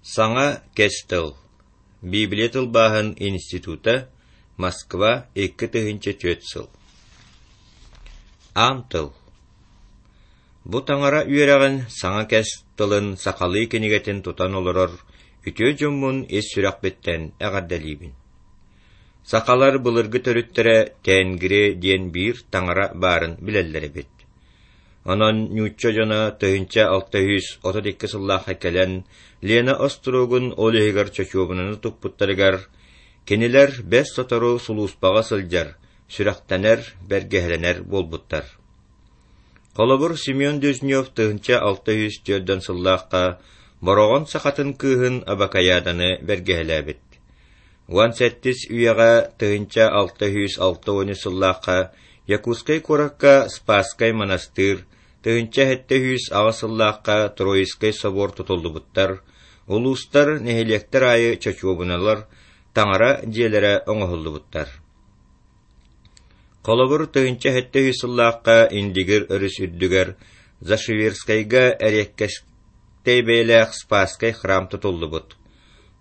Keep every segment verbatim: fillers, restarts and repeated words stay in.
Саҥа Кэс Тыл. Библия тылбааһын института, Москва, икки тыһыынча түөрт сыл. Аан тыл. Бу таҥара үөрэҕин Саҥа Кэс Тылын сахалыы кинигэтин тутан олорор үтүө дьоммун ис сүрэхпиттэн эҕэрдэлиибин. Сахалар былыргы төрүттэрэ Тенгри диэн биир таҥара баарын билэллэр эбит. Онон нуучча дьоно тыһыынча алта сүүс отут икки сыллаахха кэлэн Лена остуруогун ол иһигэр чочуобунаны туппуттарыгар, кинилэр бэс сотору сулууспаҕа сылдьар, сүрэхтэнэр, бэргэһэлэнэр буолбуттар. Холобур, Семен Дежнев тыһыынча алта сүүс түөртэн сыллаахха Бороҕон сахатын кыыһын Абакайааданы бэргэһэлээбит. Уон сэттис үйэҕэ тыһыынча алта сүүс алта уон үс сыллаахха Якутскай куоракка Спасскай монастырь, тыһыынча сэттэ сүүс аҕыс сыллаахха Троицкай собор тутуллубуттар, улуустар, нэһилиэктэр аайы чочуобуналар, таҥара дьиэлэрэ оҥоһуллубуттар. Холобур, тыһыынча сэттэ сүүс сыллаахха Индигир өрүс үрдүгэр Зашиверскайга эриэккэстэй бэйэлээх Спасскай храм тутуллубут.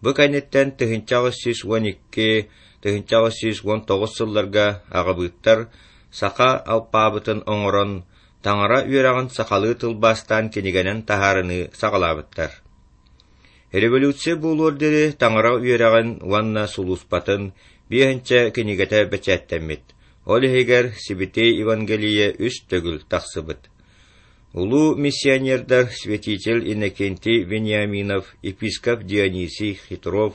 Бу кэнниттэн тыһыынча аҕыс сүүс уон икки тыһыынча аҕыс сүүс уон тоҕус сылларга аҕабыыттар саха алпаабытын оҥорон, таҥара үөрэҕин сахалыы тылбаастаан кинигэнэн таһаарыныы саҕалаабыттар. Революция буолуор диэри таҥара үөрэҕин уонна сулууспатын биэһинчэ кинигэтэ бэчээттэммит, ол иһигэр Сибэтиэй Евангелие үс төгүл тахсыбыт. Улуу миссионердар святитель Иннокентий Вениаминов, епископ Дионисий Хитров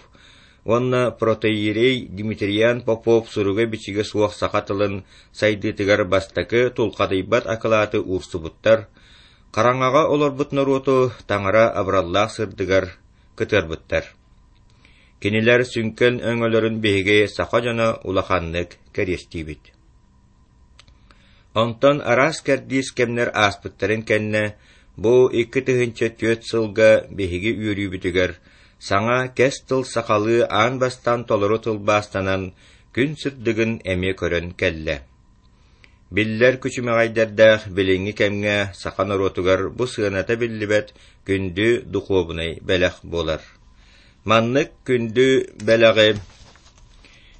уонна протоиерей Дмитриан Попов суруга-бичигэ суох саха тылын сайдыытыгар бастакы тулхадыйбат акылааты уурсубуттар, хараҥаҕа олорбут норуоту таҥара абыраллаах сырдыгар кытыарбыттар. Кинилэр сүҥкэн өҥөлөрүн биһиги саха дьоно улаханнык кэриэстиибит. Онтон араас кэрдиис кэмнэр ааспыттарын кэннэ, бу икки тыһыынча түөрт сылга биһиги үөрүүбүтүгэр саҥа Кэс Тыл сахалыы аан бастаан толору тылбаастанан күн сырдыгын эмиэ көрөн кэллэ. Биллэр күчүмэҕэйдэрдээх билиҥҥи кэмҥэ саха норуотугар бу сыаната биллибэт күндү духуобунай бэлэх буолар. Маннык күндү бэлэҕи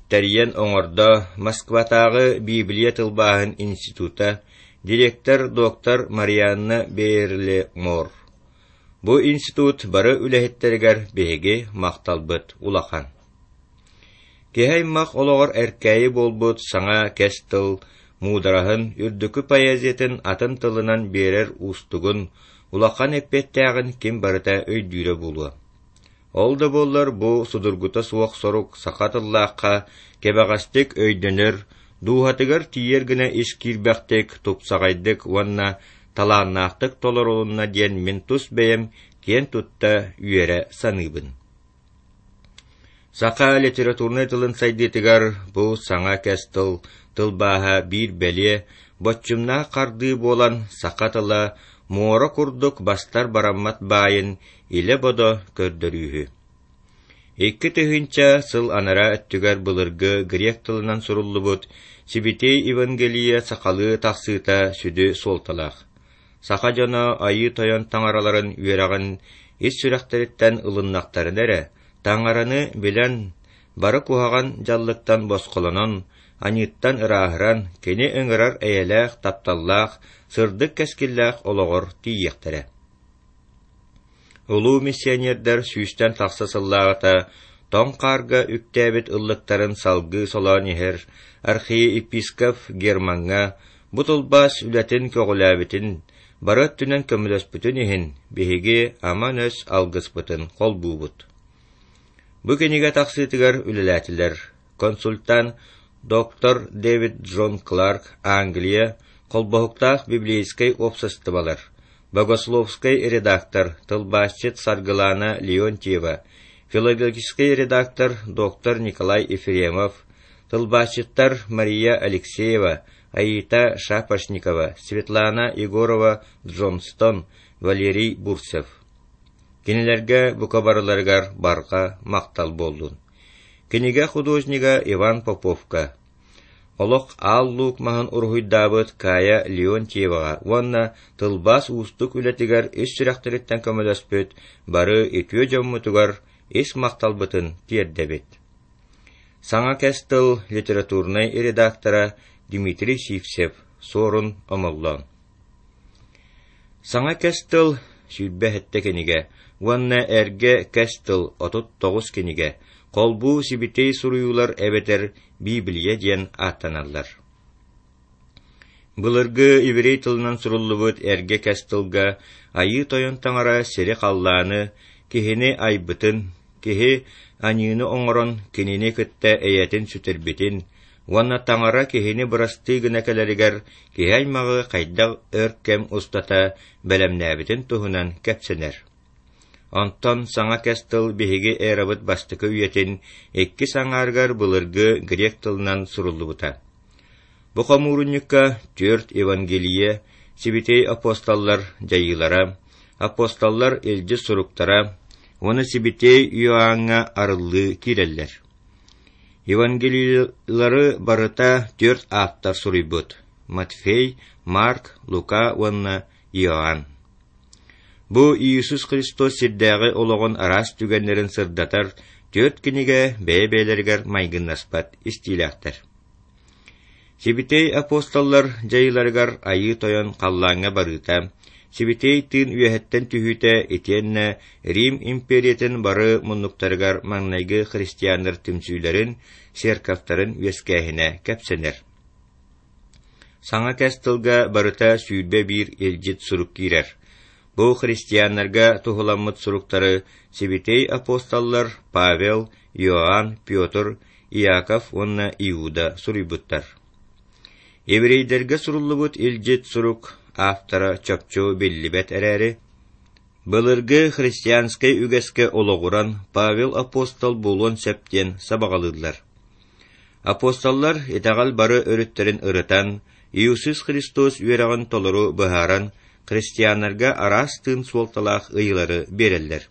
тэрийэн оҥордо Москватааҕы Библия тылбааһын института, директор доктор Марианна Бейерле-Мор. Бу институт бары үлэһиттэригэр биһиги махталбыт улахан. Киһи аймах олоҕор эркээйи буолбут саҥа Кэс Тыл муудараһын, үрдүкү поэзиятын атын тылынан биэрэр уустугун, улахан эппиэттээҕин ким барыта өйдүүрэ буолуо. Ол да буоллар бу судургута суох сорук саха тыллаахха кэбэҕэстик өйдөнөр, дууһатыгар тиийэр гына ис киирбэхтик, тупсаҕайдык уонна талааннаахтык толорулунна диэн мин тус бэйэм киэн тутта үөрэ саныыбын. Саха литературнай тылын сайдыытыгар бу саҥа Кэс Тыл тылбааһа биир бэлиэ, боччумнаах хардыы буолан саха тыла муора курдук бастар бараммат баайын илэ-бодо көрдөрүүһү. Икки тыһыынча сыл анараа өттүгэр былыргы грек тылынан суруллубут Сибэтиэй Евангелие сахалыы тахсыыта сүдү суолталаах. Саха дьоно Айыы Тойон таҥараларын үөрэҕин ис сүрэхтэриттэн ылыннахтарына эрэ, таҥараны билэн, бары куһаҕан дьаллыктан босхолонон, аньыыттан ырааһыран, кини ыҥырар эйэлээх, тапталлаах, сырдык кэскиллээх олоҕор тиийиэхтэрэ. Улуу миссионердар сүүстэн тахса сыллааҕыта тоҥ хаарга үктээбит ыллыктарын салгыы солоон иһэр архиепископ Гермаҥҥа бу тылбаас үлэтин көҕүлээбитин, бары өттүнэн көмөлөспүтүн иһин биһиги аман-өс алгыспытын холбуубут. Бу кинигэ тахсыытыгар үлэлээтилэр консультант доктор Дэвид Джон Кларк, Англия, холбоһуктаах библейскэй уопсастыбалар, богословскай редактор, тылбаасчыт Саргылана Леонтьева, филологическай редактор доктор Николай Ефремов, тылбаасчыттар Мария Алексеева, Аита Шапошникова, Светлана Егорова Джонстон, Валерий Бурцев. Кинилэргэ бука барыларыгар барҕа махтал буоллун. Кинигэ художнига Иван Поповка. Олох Аал Луук маһын уруһуйдаабыт Кая Леонтьеваҕа уонна тылбаас уустук үлэтигэр ис сүрэхтэриттэн көмөлөспүт бары үтүө дьоммутугар ис махталбытын тиэрдэбит. Саҥа Кэс Тыл литературнай редактора Дмитрий Сивцев, Суорун Омоллоон. Саҥа Кэс Тыл сүүрбэ сэттэ кинигэ уонна Эргэ Кэс Тыл отут тоҕус кинигэ холбуу Сибитиэй суруйуулар эбэтэр Библия диэн ааттаналлар. Былыргы еврей тылынан суруллубут Эргэ Кэс Тылга Айыы Тойон Таҥара сири-халлааны, киһини айбытын, киһи аньыыны оҥорон кинини кытта эйэтин сүтэрбитин уонна Таҥара киһини бырастыы гына кэлэригэр киһи аймаҕы хайдах өр кэм устата бэлэмнээбитин туһунан кэпсэнэр. Онтон Саҥа Кэс Тыл биһиги эрабыт бастакы үйэтин иккис аҥаарыгар былыргы грек тылынан суруллубута. Бу хомуурунньукка түөрт Евангелие, Сибитиэй апостоллар дьайыылара, апостоллар илдьит суруктара уонна Сибитиэй Иоанҥа арыллыы киирэллэр. Евангелиелары барыта түөрт ааптар суруйбут: Матфей, Марк, Лука уонна Иоанн. Бу Иисус Христос сирдээҕи олоҕун араас түгэннэрин сырдатар түөрт кинигэ бэйэ-бэйэлэригэр майгыннаспат истиилээхтэр. Сибитиэй апостоллар дьайыыларыгар Айыы Тойон халлааҥҥа барыыта, Сибитиэй тыын үөһэттэн түһүүтэ итиэннэ Рим империятын бары муннуктарыгар маҥнайгы христианнар түмсүүлэрин, церковтарын үөскээһинэ кэпсэнэр. Саҥа Кэс Тылга барыта сүүрбэ биир илдьит сурук киирэр. Бу христианнарга туһуламмыт суруктары Сибитиэй апостоллар Павел, Иоанн, Петр, Иаков уонна Иуда суруйбуттар. Еврейдэргэ суруллубут илдьит сурук автора чопчу биллибэт эрээри, былыргы христианскай үгэскэ олоҕуран Павел апостол буолуон сөп диэн сабаҕалыыллар. Апостоллар итэҕэл бары өрүттэрин ырытан, Иисус Христос үөрэҕин толору быһааран, христианнарга араас тыын суолталаах ыйыылары биэрэллэр.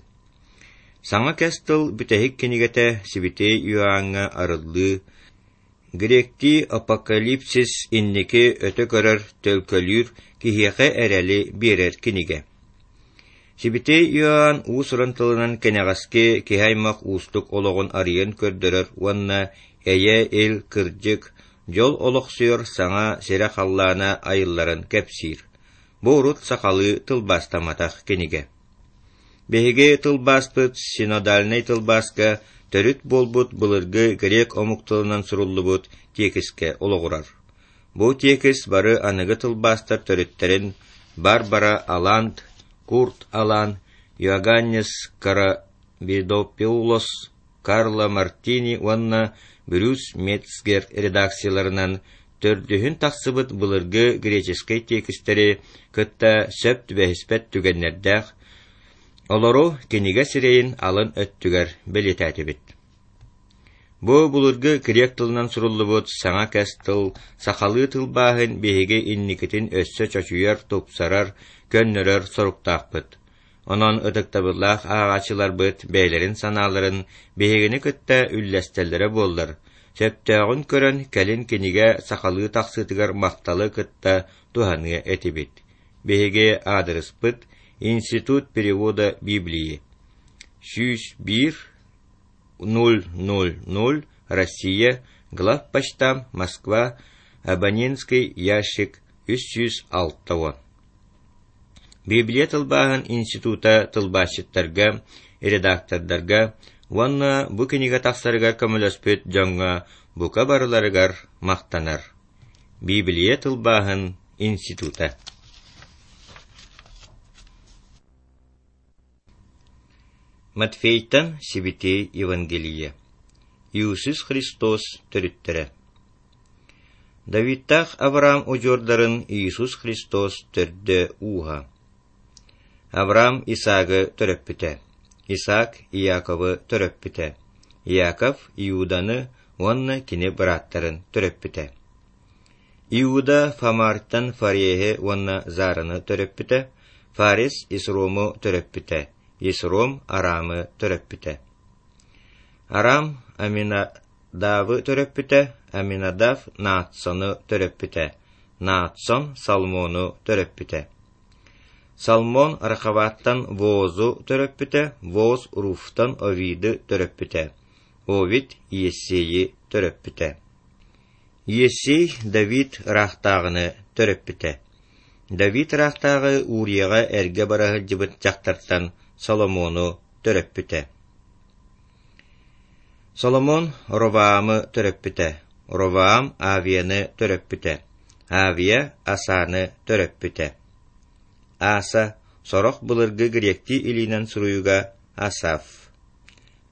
Саҥа Кэс Тыл бүтэһик кинигэтэ Сибитиэй Иоанҥа арыллыы, гректии апокалипсис инники өтө көрөр, төлкөлүүр, киһиэхэ эрэли биэрэр кинигэ. Сибитиэй Иоанн уус-уран тылынан кэнэҕэски киһи аймах уустук олоҕун арыйан көрдөрөр уонна эйэ, ил, кырдьык, дьол олохсуйар саҥа сирэ-халлаана айылларын кэпсиир. Бу урут сахалыы тылбаастамматах кинигэ. Биһиги тылбааспыт синодальнай тылбааска төрүт буолбут былыргы грек омук тылынан суруллубут тиэкискэ олоҕурар. Бу тиэкис бары аныгы тылбаастар төрүттэрин Барбара Аланд, Курт Алан, Иоганнес Карабидопеулос, Карло Мартини уонна Брюс Мецгер редакцияларынан төрдүһүн тахсыбыт былыргы греческэй тиэкистэри кытта сөп түбэһиспэт түгэннэрдээх, олору кинигэ сирэйин алын өттүгэр бэлиэтээтибит. Бу былыргы грек тылынан суруллубут Саҥа Кэс Тыл сахалыы тылбааһын биһиги инникитин өссө чочуйар, тупсарар, көннөрөр соруктаахпыт. Онон ытыктабыллаах ааҕааччыларбыт бэйэлэрин санааларын биһигини кытта үллэстэллэрэ буоллар, сөптөөҕүн көрөн кэлин кинигэ сахалыы тахсыытыгар махталы кытта туһаныа этибит. Биһиги аадырыспыт Институт перевода Библии сүүс биир ноль ноль ноль Россия, Главпочтамт, Москва, абонентский ящик үс сүүс алта уон. Библия тылбааһын института тылбаасчыттарга, редактордарга уонна бу кинигэ тахсарыгар көмөлөспүт дьоҥҥо бука барыларыгар махтанар. Библия тылбааһын института. Матфейтан Сибитиэй Евангелие. Иисус Христос төрүттэрэ. Давидтаах Авраам удьуордарын Иисус Христос төрдө ууһа. Авраам Исаагы төрөппүтэ. Исаак Иаковы төрөппүтэ. Иаков Иуданы уонна кини бырааттарын төрөппүтэ. Иуда Фамартан Фареһи уонна Зараны төрөппүтэ. Фарес Исрому төрөппүтэ. Исром Арамы төрөппүтэ. Арам Аминадавы Аминадавы төрөппүтэ, Аминадав Наатсону төрөппүтэ, Наатсон Салмону төрөппүтэ. Салмон Рахаваттан Воозу төрөппүтэ, Вооз Руфтан Овиды төрөппүтэ, Овид Иессейи төрөппүтэ. Иессей Давид ыраахтааҕыны төрөппүтэ. Давид ыраахтааҕы Урияҕа эргэ бара сылдьыбыт дьахтартан Соломону төрөппүтэ. Соломон Ровоамы төрөппүтэ, Ровоам Авияны төрөппүтэ, Авия Асаны төрөппүтэ. Аса сорох былыргы гректии илиинэн суруйууга Асаф.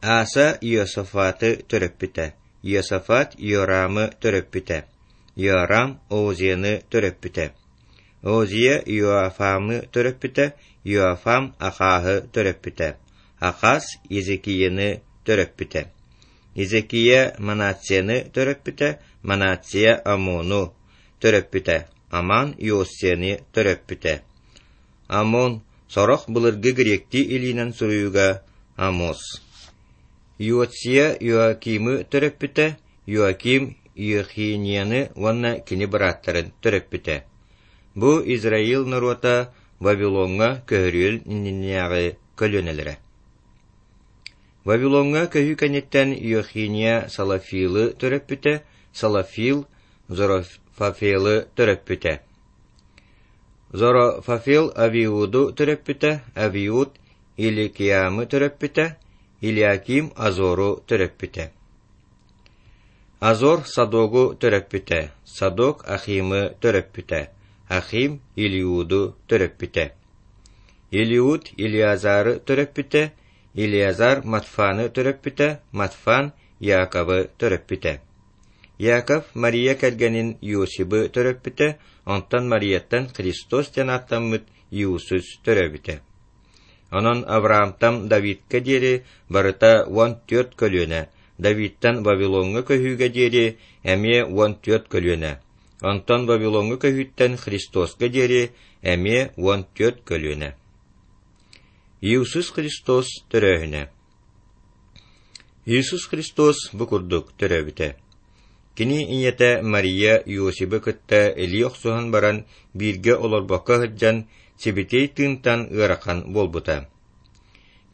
Аса Иосафаты төрөппүтэ, Иосафат Иорамы төрөппүтэ, Иорам Озияны төрөппүтэ. Озия Иоафамы төрөппүтэ, Иоафам Ахааһы төрөппүтэ, Ахаас Езекияны төрөппүтэ. Езекия Манацияны төрөппүтэ, Манация Амону төрөппүтэ, Аман Иосияны төрөппүтэ. Амон сорох былыргы гректии илиинэн суруйууга Амос. Иосия Иоакимы төрөппүтэ, Иоаким Иохинияны уонна кини бырааттарын төрөппүтэ. Бу Израиль норуота Вавилоҥҥа көһөрүөл иннинээҕи көлүөнэлэрэ. Вавилоҥҥа көһүү кэнниттэн Иохиния Салафилы төрөппүтэ, Салафил Зорофафелы төрөппүтэ. Зорофафел Авиуду төрөппүтэ, Авиуд Иликиамы төрөппүтэ, Илиаким Азору төрөппүтэ. Азор Садогу төрөппүтэ, Садок Ахимы төрөппүтэ, Ахим Илиуду төрөппүтэ. Илиуд Илиазары төрөппүтэ, Илиазар Матфаны төрөппүтэ, Матфан Яковы төрөппүтэ. Яков Мария кэргэнин Иосибы төрөппүтэ, онтон Марияттан Христос диэн ааттаммыт Иисус төрөөбүтэ. Онон Авраамтан Давидка диэри барыта уон түөрт көлүөнэ, Давидтан Вавилоҥҥа көһүүгэ диэри эмиэ уон түөрт көлүөнэ, онтон Вавилоҥҥа көһүүттэн Христоска диэри эмиэ уон түөрт көлүөнэ. Иисус Христос төрөөһүнэ. Иисус Христос бу курдук төрөөбүтэ. Кини ийэтэ Мария Иосибы кытта илии охсуһан баран бииргэ олорбокко сылдьан Сибитиэй тыынтан ыарахан буолбута.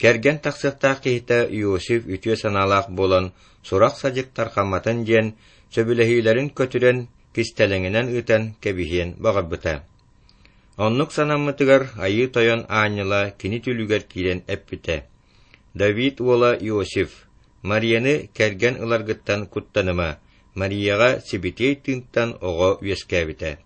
Кэргэн тахсыахтаах киһитэ Иосиф үтүө санаалаах буолан сурах-садьык тарҕамматын диэн сөбүлэһиилэрин көтүрэн кистэлэҥинэн ыытан кэбиһиэн баҕарбыта. Оннук санаммытыгар Айыы Тойон аанньала кини түүлүгэр киирэн эппитэ: «Давид уола Иосиф, Марияны кэргэн ыларгыттан куттаныма, Марияҕа Сибитиэй тыынтан оҕо үөскээбитэ.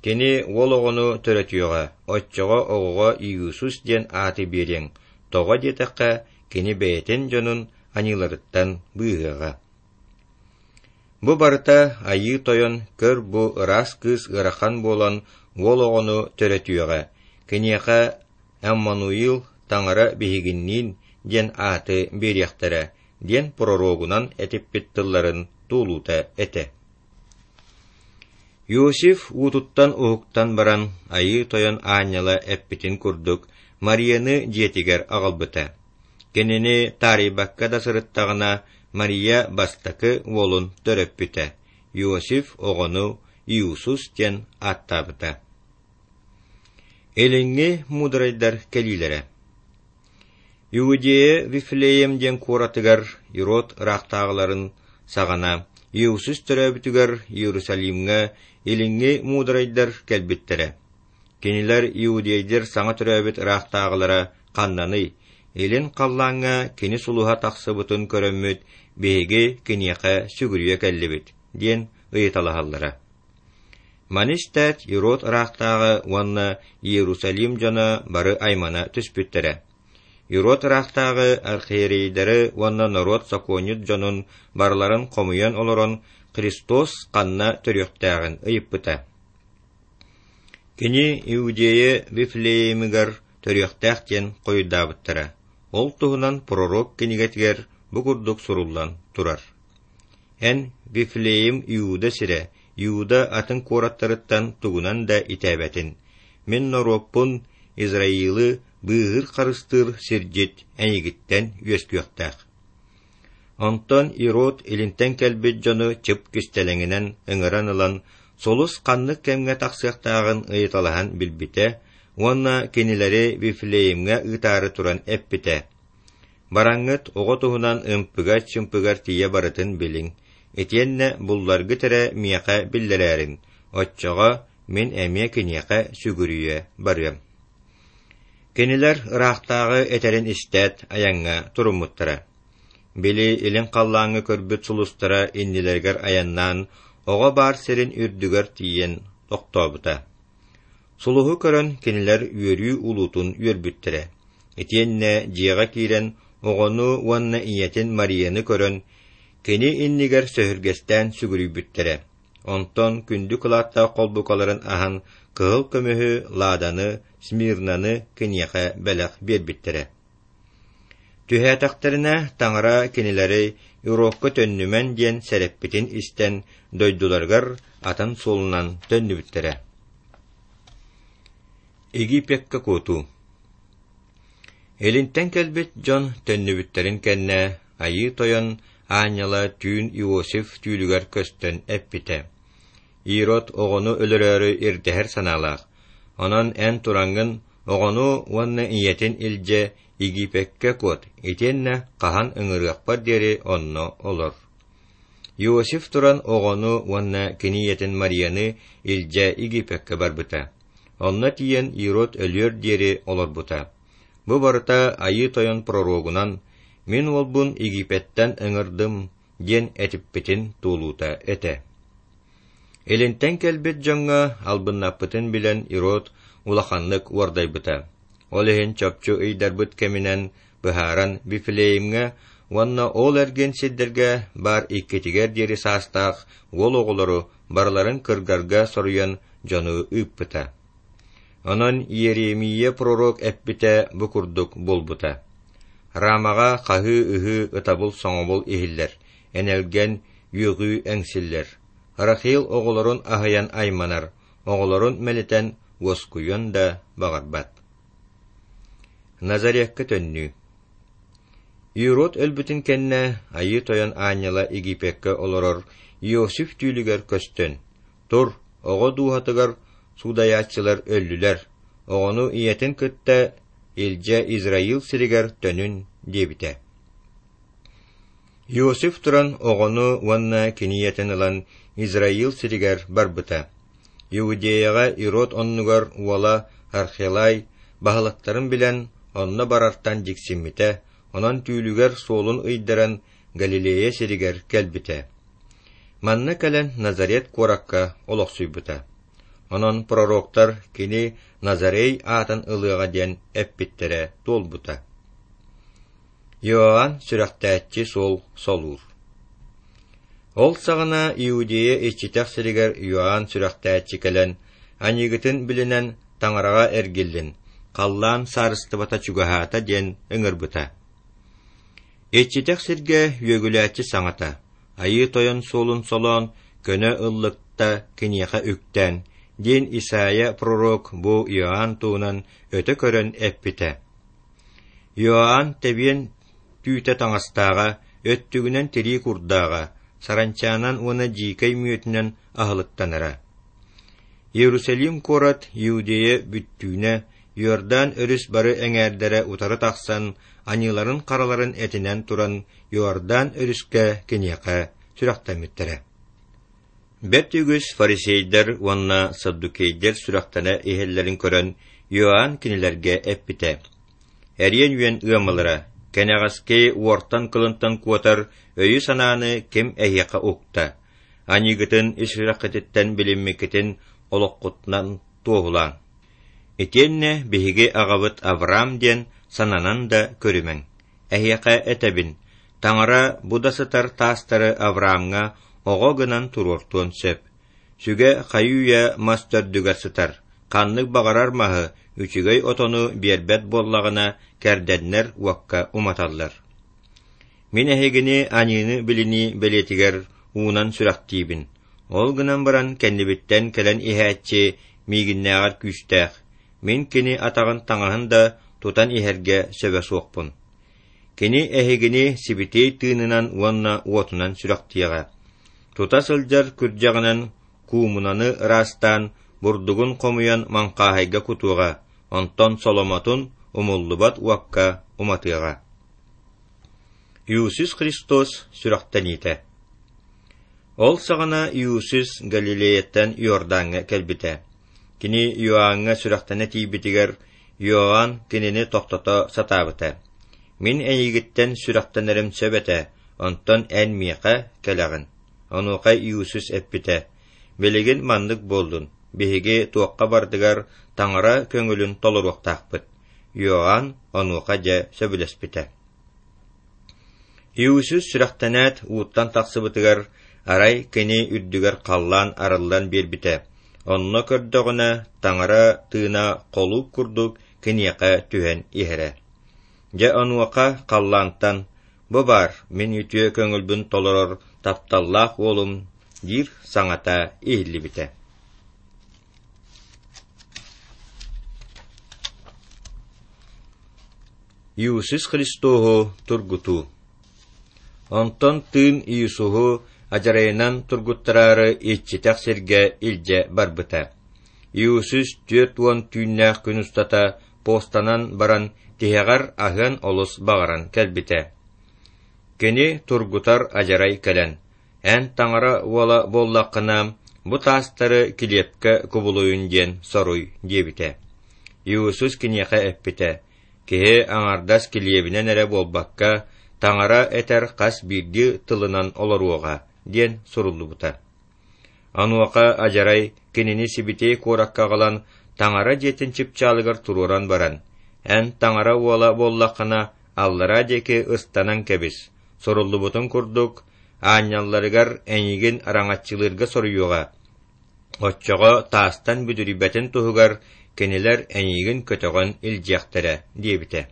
Кини уол оҕону төрөтүөҕэ, оччоҕо оҕоҕо Иисус диэн ааты биэриэҥ, тоҕо диэтэххэ, кини бэйэтин дьонун аньыыларыттан быыһыаҕа». Бу барыта Айыы Тойон көр бу ыраас кыыс ыарахан буолан уол оҕону төрөтүөҕэ, киниэхэ Эммануил Таҥара биһигинниин диэн ааты биэриэхтэрэ диэн пророгунан этиппит тылларын туолуута этэ. Иосиф уутуттан уһуктан баран, Айыы Тойон аанньала эппитин курдук, Марияны дьиэтигэр аҕалбыта. Кинини таарыйбакка да сырыттаҕына, Мария бастакы уолун төрөппүтэ, Иосиф оҕону Иисус диэн ааттаабыта. Илиҥҥи муударайдар кэлиилэрэ. Иудея Вифлеем диэн куоратыгар Ирод ыраахтааҕыларын саҕана Иисус төрөөбүтүгэр Иерусалимҥа илиҥҥи муударайдар кэлбиттэрэ. Кинилэр иудейдэр саҥа төрөөбүт ыраахтааҕылара ханнаный, илин халлааҥҥа кини сулуһа тахсыбытын көрөммүт, биһиги киниэхэ сүгүрүйэ кэллибит, диэн ыйыталаһаллара. Маны истээт Ирод ыраахтааҕы уонна Иерусалим дьоно бары аймана түспүттэрэ. Ирод ыраахтааҕы архиерейдары уонна норуот сокуонньут дьонун барыларын хомуйан олорон Христос ханна төрүөхтээҕин ыйыппыта. Кини Иудея Вифлеемигэр төрүөхтээх диэн хойудаабыттара. Ол туһунан пророк кинигэтигэр бу курдук суруллан турар. Эн Вифлеем Иуда сирэ, Иуда атын куораттарыттан тугунан да итээбэтин. Мин норуоппун Израилы быыһыыр харыстыыр сирдьит эйигиттэн үөскүөхтээх. Онтон Ирод илинтэн кэлбит дьону чып кистэлэҥинэн ыҥыран ылан, сулус ханнык кэмҥэ тахсыахтааҕын ыйыталаһан билбитэ уонна кинилэри Вифлеемҥэ ыытаары туран эппитэ: Бараҥҥыт оҕо туһунан ымпыгар-чымпыгар тиийэ барытын билиҥ, итиэннэ булларгыт эрэ миэхэ биллэрээриҥ, оччоҕо мин эмиэ киниэхэ сүгүрүйэ барыам. Кинилэр ыраахтааҕы этэрин истээт, айаҥҥа туруммуттара. Били илин халлааҥҥа көрбүт сулустара иннилэригэр айаннаан, оҕо баар сирин үрдүгэр тиийэн тохтообута. Сулуһу көрөн кинилэр үөрүү улуутун үөрбүттэрэ. Итиэннэ дьиэҕэ киирэн оҕону уонна ийэтин Марияны көрөн, кини иннигэр сөһүргэстээн сүгүрүйбүттэрэ. Онтон күндү кылааттаах холбукаларын аһан кыһыл көмүһү, ладаны, смирнаны киниэхэ бэлэх биэрбиттэрэ. Түһээтэхтэринэ Таҥара кинилэри Ирокка төннүмэн диэн сэрэппитин истэн, дойдуларыгар атын суолунан төннүбүттэрэ. Египеккэ куотуу. Илинтэн кэлбит дьон төннүбүттэрин кэннэ Айыы Тойон аанньала түүн Иосиф түүлүгэр көстөн эппитэ: Ирод оҕону өлөрөөрү ирдэһэр санаалаах, онон эн тураҥҥын оҕону уонна ийэтин илдьэ Египеккэ куот, итиэннэ хаһан ыҥырыахпар диэри онно олор. Иосиф туран оҕону уонна кини ийэтин Марияны илдьэ Египеккэ барбыта. Онно тиийэн Ирод өлүөр диэри олорбута. Бу барыта Айыы Тойон пророгунан «Мин уолбун Египеттэн ыҥырдым» диэн этиппитин туолуута этэ. Илинтэн кэлбит дьоҥҥо албыннаппытын билэн Ирод улаханнык уордайбыта. Ол иһин чопчу ыйдарбыт кэминэн быһааран Вифлеемҥэ уонна ол эргин сирдэргэ баар иккитигэр диэри саастаах уол оҕолору барыларын кыргарга соруйан дьону ыыппыта. Онон Иеремия пророк эппитэ бу курдук буолбута: Рамаҕа хаһыы-ыһыы, ытабыл-соҥобул иһиллэр, энэлгэн, үөҕүү эҥсиллэр. Рахил оҕолорун аһыйан айманар, оҕолорун мэлитэн уоскуйуон да баҕарбат. Назарекка төннүү. Ирод өлбүтүн кэннэ Айыы Тойон аанньала Египеккэ олорор Иосиф түүлүгэр көстөн, «Тур, оҕо дууһатыгар суудайааччылар өллүлэр, оҕону ийэтин кытта илдьэ Израил сиригэр төнүн» диэбитэ. Иосиф туран оҕону уонна кини ийэтин ылан Израил сиригэр барбыта. Иудеяҕа Ирод оннугар уола Архелай баһылыктарын билэн, онно барартан дьиксиммитэ, онон түүлүгэр суолун ыйдаран Галилея сиригэр кэлбитэ. Манна кэлэн Назарет куоракка олохсуйбута. Онон пророктар кини Назарей аатын ылыаҕа диэн эппиттэрэ туолбута. Иоанн сүрэхтээччи суол солуур. Ол саҕана Иудея иччитэх сиригэр Иоанн сүрэхтээччи кэлэн, аньыыгытын билинэн Таҥараҕа эргиллин, халлаан саарыстыбата чугаһаата диэн ыҥырбыта. Иччитэх сиргэ үөгүлээччи саҥата, Айыы Тойон суолун солоон, көнө ыллыкта киниэхэ үктээн, диэн Исаия пророк бу Иоанн туһунан өтө көрөн эппитэ. Иоанн тэбиэн түүтэ таҥастааҕа, өттүгүнэн тирии курдааҕа, саранчаанан уонна дьиикэй мүөтүнэн аһылыктанара. Иерусалим куорат Иудея бүттүүнэ, Иордан өрүс бары эҥээрдэрэ утары тахсан, аньыыларын-хараларын этинэн туран Иордан өрүскэ киниэхэ сүрэхтэммиттэрэ. Бэрт үгүс фарисейдар уонна саддукейдар сүрэхтэнэ иһэллэрин көрөн, Иоанн кинилэргэ эппитэ: «Эриэн үөн ыамалара, кэнэҕэски уортан-кылынтан куотар өйү-санааны ким эһиэхэ укта? Аньыыгытын ис сүрэххититтэн билиммиккитин олоххутунан туоһулааҥ. Итиэннэ биһиги аҕабыт Авраам диэн сананан да көрүмэҥ. Эһиэхэ этэбин, Таҥара бу да сытар таастары Авраамҥа оҕо гынан туруортуон сөп. Сүгэ хайыы-үйэ мас төрдүгэр сытар, ханнык баҕарар маһы, үчүгэй отону биэрбэт буоллаҕына, кэрдэннэр уокка уматаллар. Мин эһигини аньыыны билинии бэлиэтигэр уунан сүрэхтиибин. Ол гынан баран кэннибиттэн кэлэн иһээччи миигиннээҕэр күүстээх, мин кини атаҕын таҥаһын да тутан иһэргэ сөбө суохпун. Кини эһигини Сибэтиэй Тыынынан уонна уотунан сүрэхтиэҕэ. Тута сылдьар күрдьэҕинэн куумунаны ыраастаан, бурдугун хомуйан маҥхааһайга кутуоҕа, онтон соломотун умуллубат уокка уматыаҕа. Иисус Христос сүрэхтэниитэ. Ол саҕана Иисус Галилеяттан Иордаҥҥа кэлбитэ. Кини Иоанҥа сүрэхтэнэ тиийбитигэр, Иоанн кинини тохтото сатаабыта. «Мин эйигиттэн сүрэхтэнэрим сөп этэ, онтон эн миэхэ кэлэҕин». Онуоха Иисус эппитэ: «Билигин маннык буоллун, биһиги туохха барытыгар Таҥара көҥүлүн толоруохтаахпыт». Иоанн онуоха дьэ сөбүлэспитэ. Иисус сүрэхтэнээт ууттан тахсыбытыгар, арай кини үрдүгэр халлаан арыллан биэрбитэ. Онно көрдөҕүнэ, Таҥара тыына холууп курдук киниэхэ түһэн иһэрэ. Дьэ онуоха халлаантан: «Бу баар, мин үтүө көҥүлбүн толорор тапталлаах уолум» диир саҥата иһиллибитэ. Иисус Христоһу тургутуу. Онтон тыын Иисуһу адьарайынан тургуттараары иччитэх сиргэ илдьэ барбыта. Иисус түөрт уон түүннээх күн устата постанан баран тиһэҕэр аһыан олус баҕаран кэлбитэ. Кини тургутар адьарай кэлэн, «Эн Таҥара уола буоллаххына, бу таастары килиэпкэ кубулуйун диэн соруй» диэбитэ. Иисус киниэхэ эппитэ: «Киһи аҥардас килиэбинэн эрэ буолбакка, Таҥара этэр хас биирдии тылынан олоруоҕа» диэн суруллубута. Онуоха адьарай кинини Сибэтиэй куоракка аҕалан, Таҥара дьиэтин чыпчаалыгар туруоран баран, «Эн Таҥара уола буоллаххына, аллараа диэки ыстанан кэбис, суруллубутун курдук, аанньалларыгар эйигин араҥаччылыырга соруйуоҕа, оччоҕо таастан бүдүрүйбэтин туһугар кинилэр эйигин көтөҕөн илдьиэхтэрэ» диэбитэ.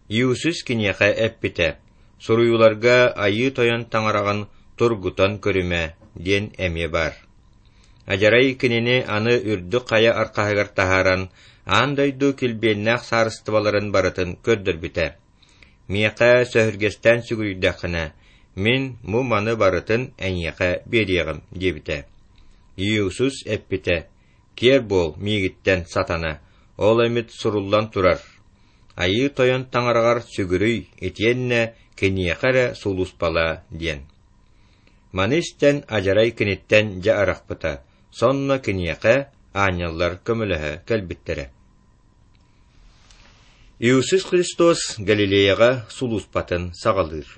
Иисус киниэхэ эппитэ: «Суруйууларга Айыы Тойон Таҥараҕын тургутан көрүмэ» диэн эмиэ баар. Адьарай кинини аны үрдүк хайа архаһыгар таһааран, аан дойду килбиэннээх саарыстыбаларын барытын көрдөрбүтэ. «Миэхэ сөһүргэстээн сүгүрүйдэххинэ, мин бу маны барытын эйиэхэ биэриэҕим» диэбитэ. Иисус эппитэ: «Киэр буол миигиттэн, сатана, ол эмит суруллан турар. Айыы Тойон Таҥараҕар сүгүрүй итиэннэ киниэхэ эрэ сулууспалаа» диэн. Маны истэн адьарай киниттэн дьэ арахпыта, сонно киниэхэ аанньаллар көмөлөһө кэлбиттэрэ. Иисус Христос Галилеяҕа сулууспатын саҕалыыр.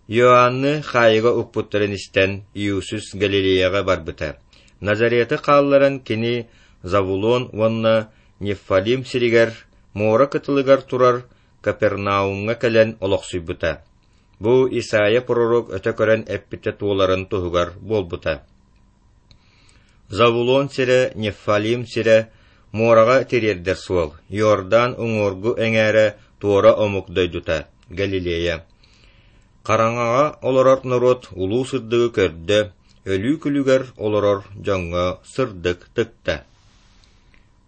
Иоанны хаайыга укпуттарын истэн, Иисус Галилеяҕа барбыта. Назареты хаалларан кини Завулон уонна Неффалим сиригэр, муора кытылыгар турар Капернаумҥа кэлэн олохсуйбута. Бу Исаия пророк өтө көрөн эппитэ туоларын туһугар буолбута. Завулон сирэ, Неффалим сирэ, муораҕа тириэрдэр суол, Иордан уҥуоргу эҥээрэ туора омук дойдута, Галилея. Хараҥаҕа олорор норуот улуу сырдыгы көрдө, өлүү күлүгэр олорор дьоҥҥо сырдык тыкта.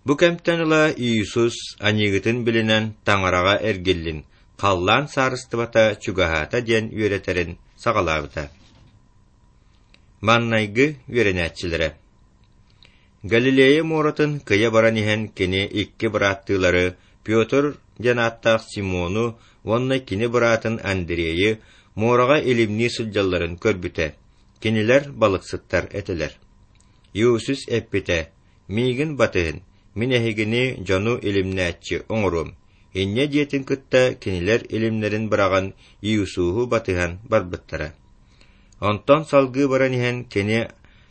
Бу кэмтэн ыла Иисус аньыыгытын билинэн Таҥараҕа эргиллин, халлаан саарыстыбата чугаһаата диэн үөрэтэрин саҕалаабыта. Маннайгы үөрэнээччилэрэ. Галилея муоратын кыйа баран иһэн кини икки бырааттыылары Петр диэн ааттаах Симону уонна кини быраатын Андрейы муораҕа илимнии сылдьалларын көрбүтэ. Кинилэр балыксыттар этилэр. Иисус эппитэ: «Миигин батыһын, мин эһигини дьону илимнээччи оҥоруом». Инньэ диэтин кытта кинилэр илимнэрин быраҕан Иисуһу батыһан барбыттара. Онтон салгыы баран иһэн кини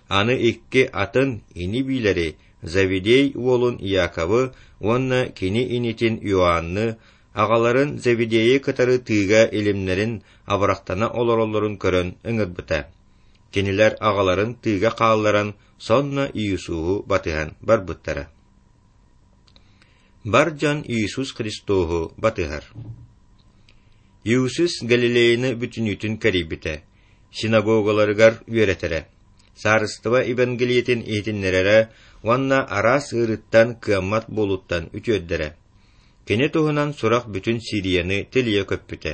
аны икки атын ини-биилэри Завидей уолун Иаковы уонна кини инитин Иоанны, аҕаларын Завидейи кытары тыыга илимнэрин абырахтана олороллорун көрөн ыҥырбыта. Кинилэр аҕаларын тыыга хаалларан, сонно Иисуһу батыһан барбыттара. Бар дьон Иисус Христоһу батыһар. Иисус Галилеяны бүтүнүүтүн кэрийбитэ, синагогаларыгар үөрэтэрэ, саарыстыба Евангелиетин иһитиннэрэрэ уонна араас ыарыыттан кыаммат буолууттан үтүөрдэрэ. Кини туһунан сурах бүтүн Сирияны тилийэ көппүтэ.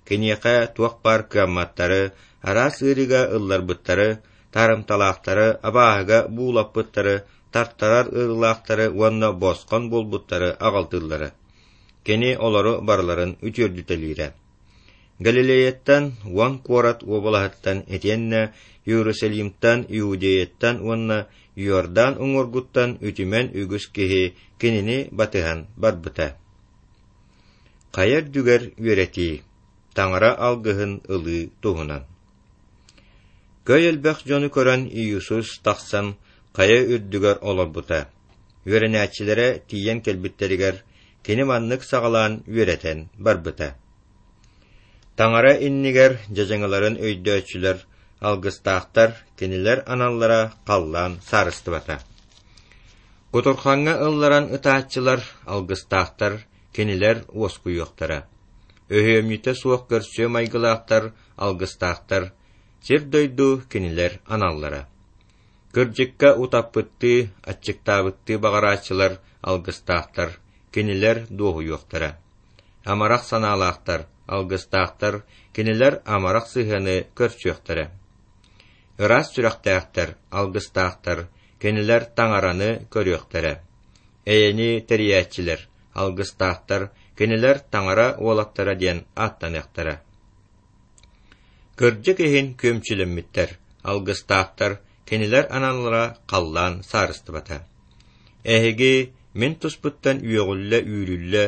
Киниэхэ туох баар кыамматтары, араас ыарыыга ылларбыттары, таарымталаахтары, абааһыга буулаппыттары, тартарар ыарыылаахтары уонна босхон буолбуттары аҕалтыыллара. Кини олору барыларын үтүөрдүтэлиирэ. Галилеяттан, уон куорат уобалаһыттан итиэннэ Иерусалимтан, Иудеяттан уонна Иордан уҥуоргуттан үтүмэн үгүс киһи кинини батыһан барбыта. Хайа үрдүгэр үөрэтии, Таҥара алгыһын ылыы туһунан. Көй элбэх дьону көрөн Иисус тахсан хайа үрдүгэр олорбута. Үөрэнээччилэрэ тиийэн кэлбиттэригэр кини маннык саҕалаан үөрэтэн барбыта. Таҥара иннигэр дьадьаҥыларын өйдөөччүлэр, алгыстаахтар, кинилэр аналлара халлаан саарыстыбата. Кутурхаҥҥа ылларан ытааччылар, алгыстаахтар, кинилэр уоскуйуохтара. Өһүөмньүтэ суох көрсүө майгылаахтар, алгыстаахтар, сир-дойду кинилэр аналлара. Кырдьыкка утаппыттыы, аччыктаабыттыы баҕарааччылар, алгыстаахтар, кинилэр дуоһуйуохтара. Амарах санаалаахтар, алгыстаахтар, кинилэр амарах сыһыаны көрсүөхтэрэ. Ыраас сүрэхтээхтэр, алгыстаахтар, кинилэр Таҥараны көрүөхтэрэ. Эйэни тэрийээччилэр, алгыстаахтар, кинилэр Таҥара уолаттара диэн ааттаныахтара. Кырдьык иһин күөмчүлэммиттэр, алгыстаахтар, кинилэр аналлара халлаан саарыстыбата. Эһиги мин туспуттан үөҕүллэ-үүрүллэ,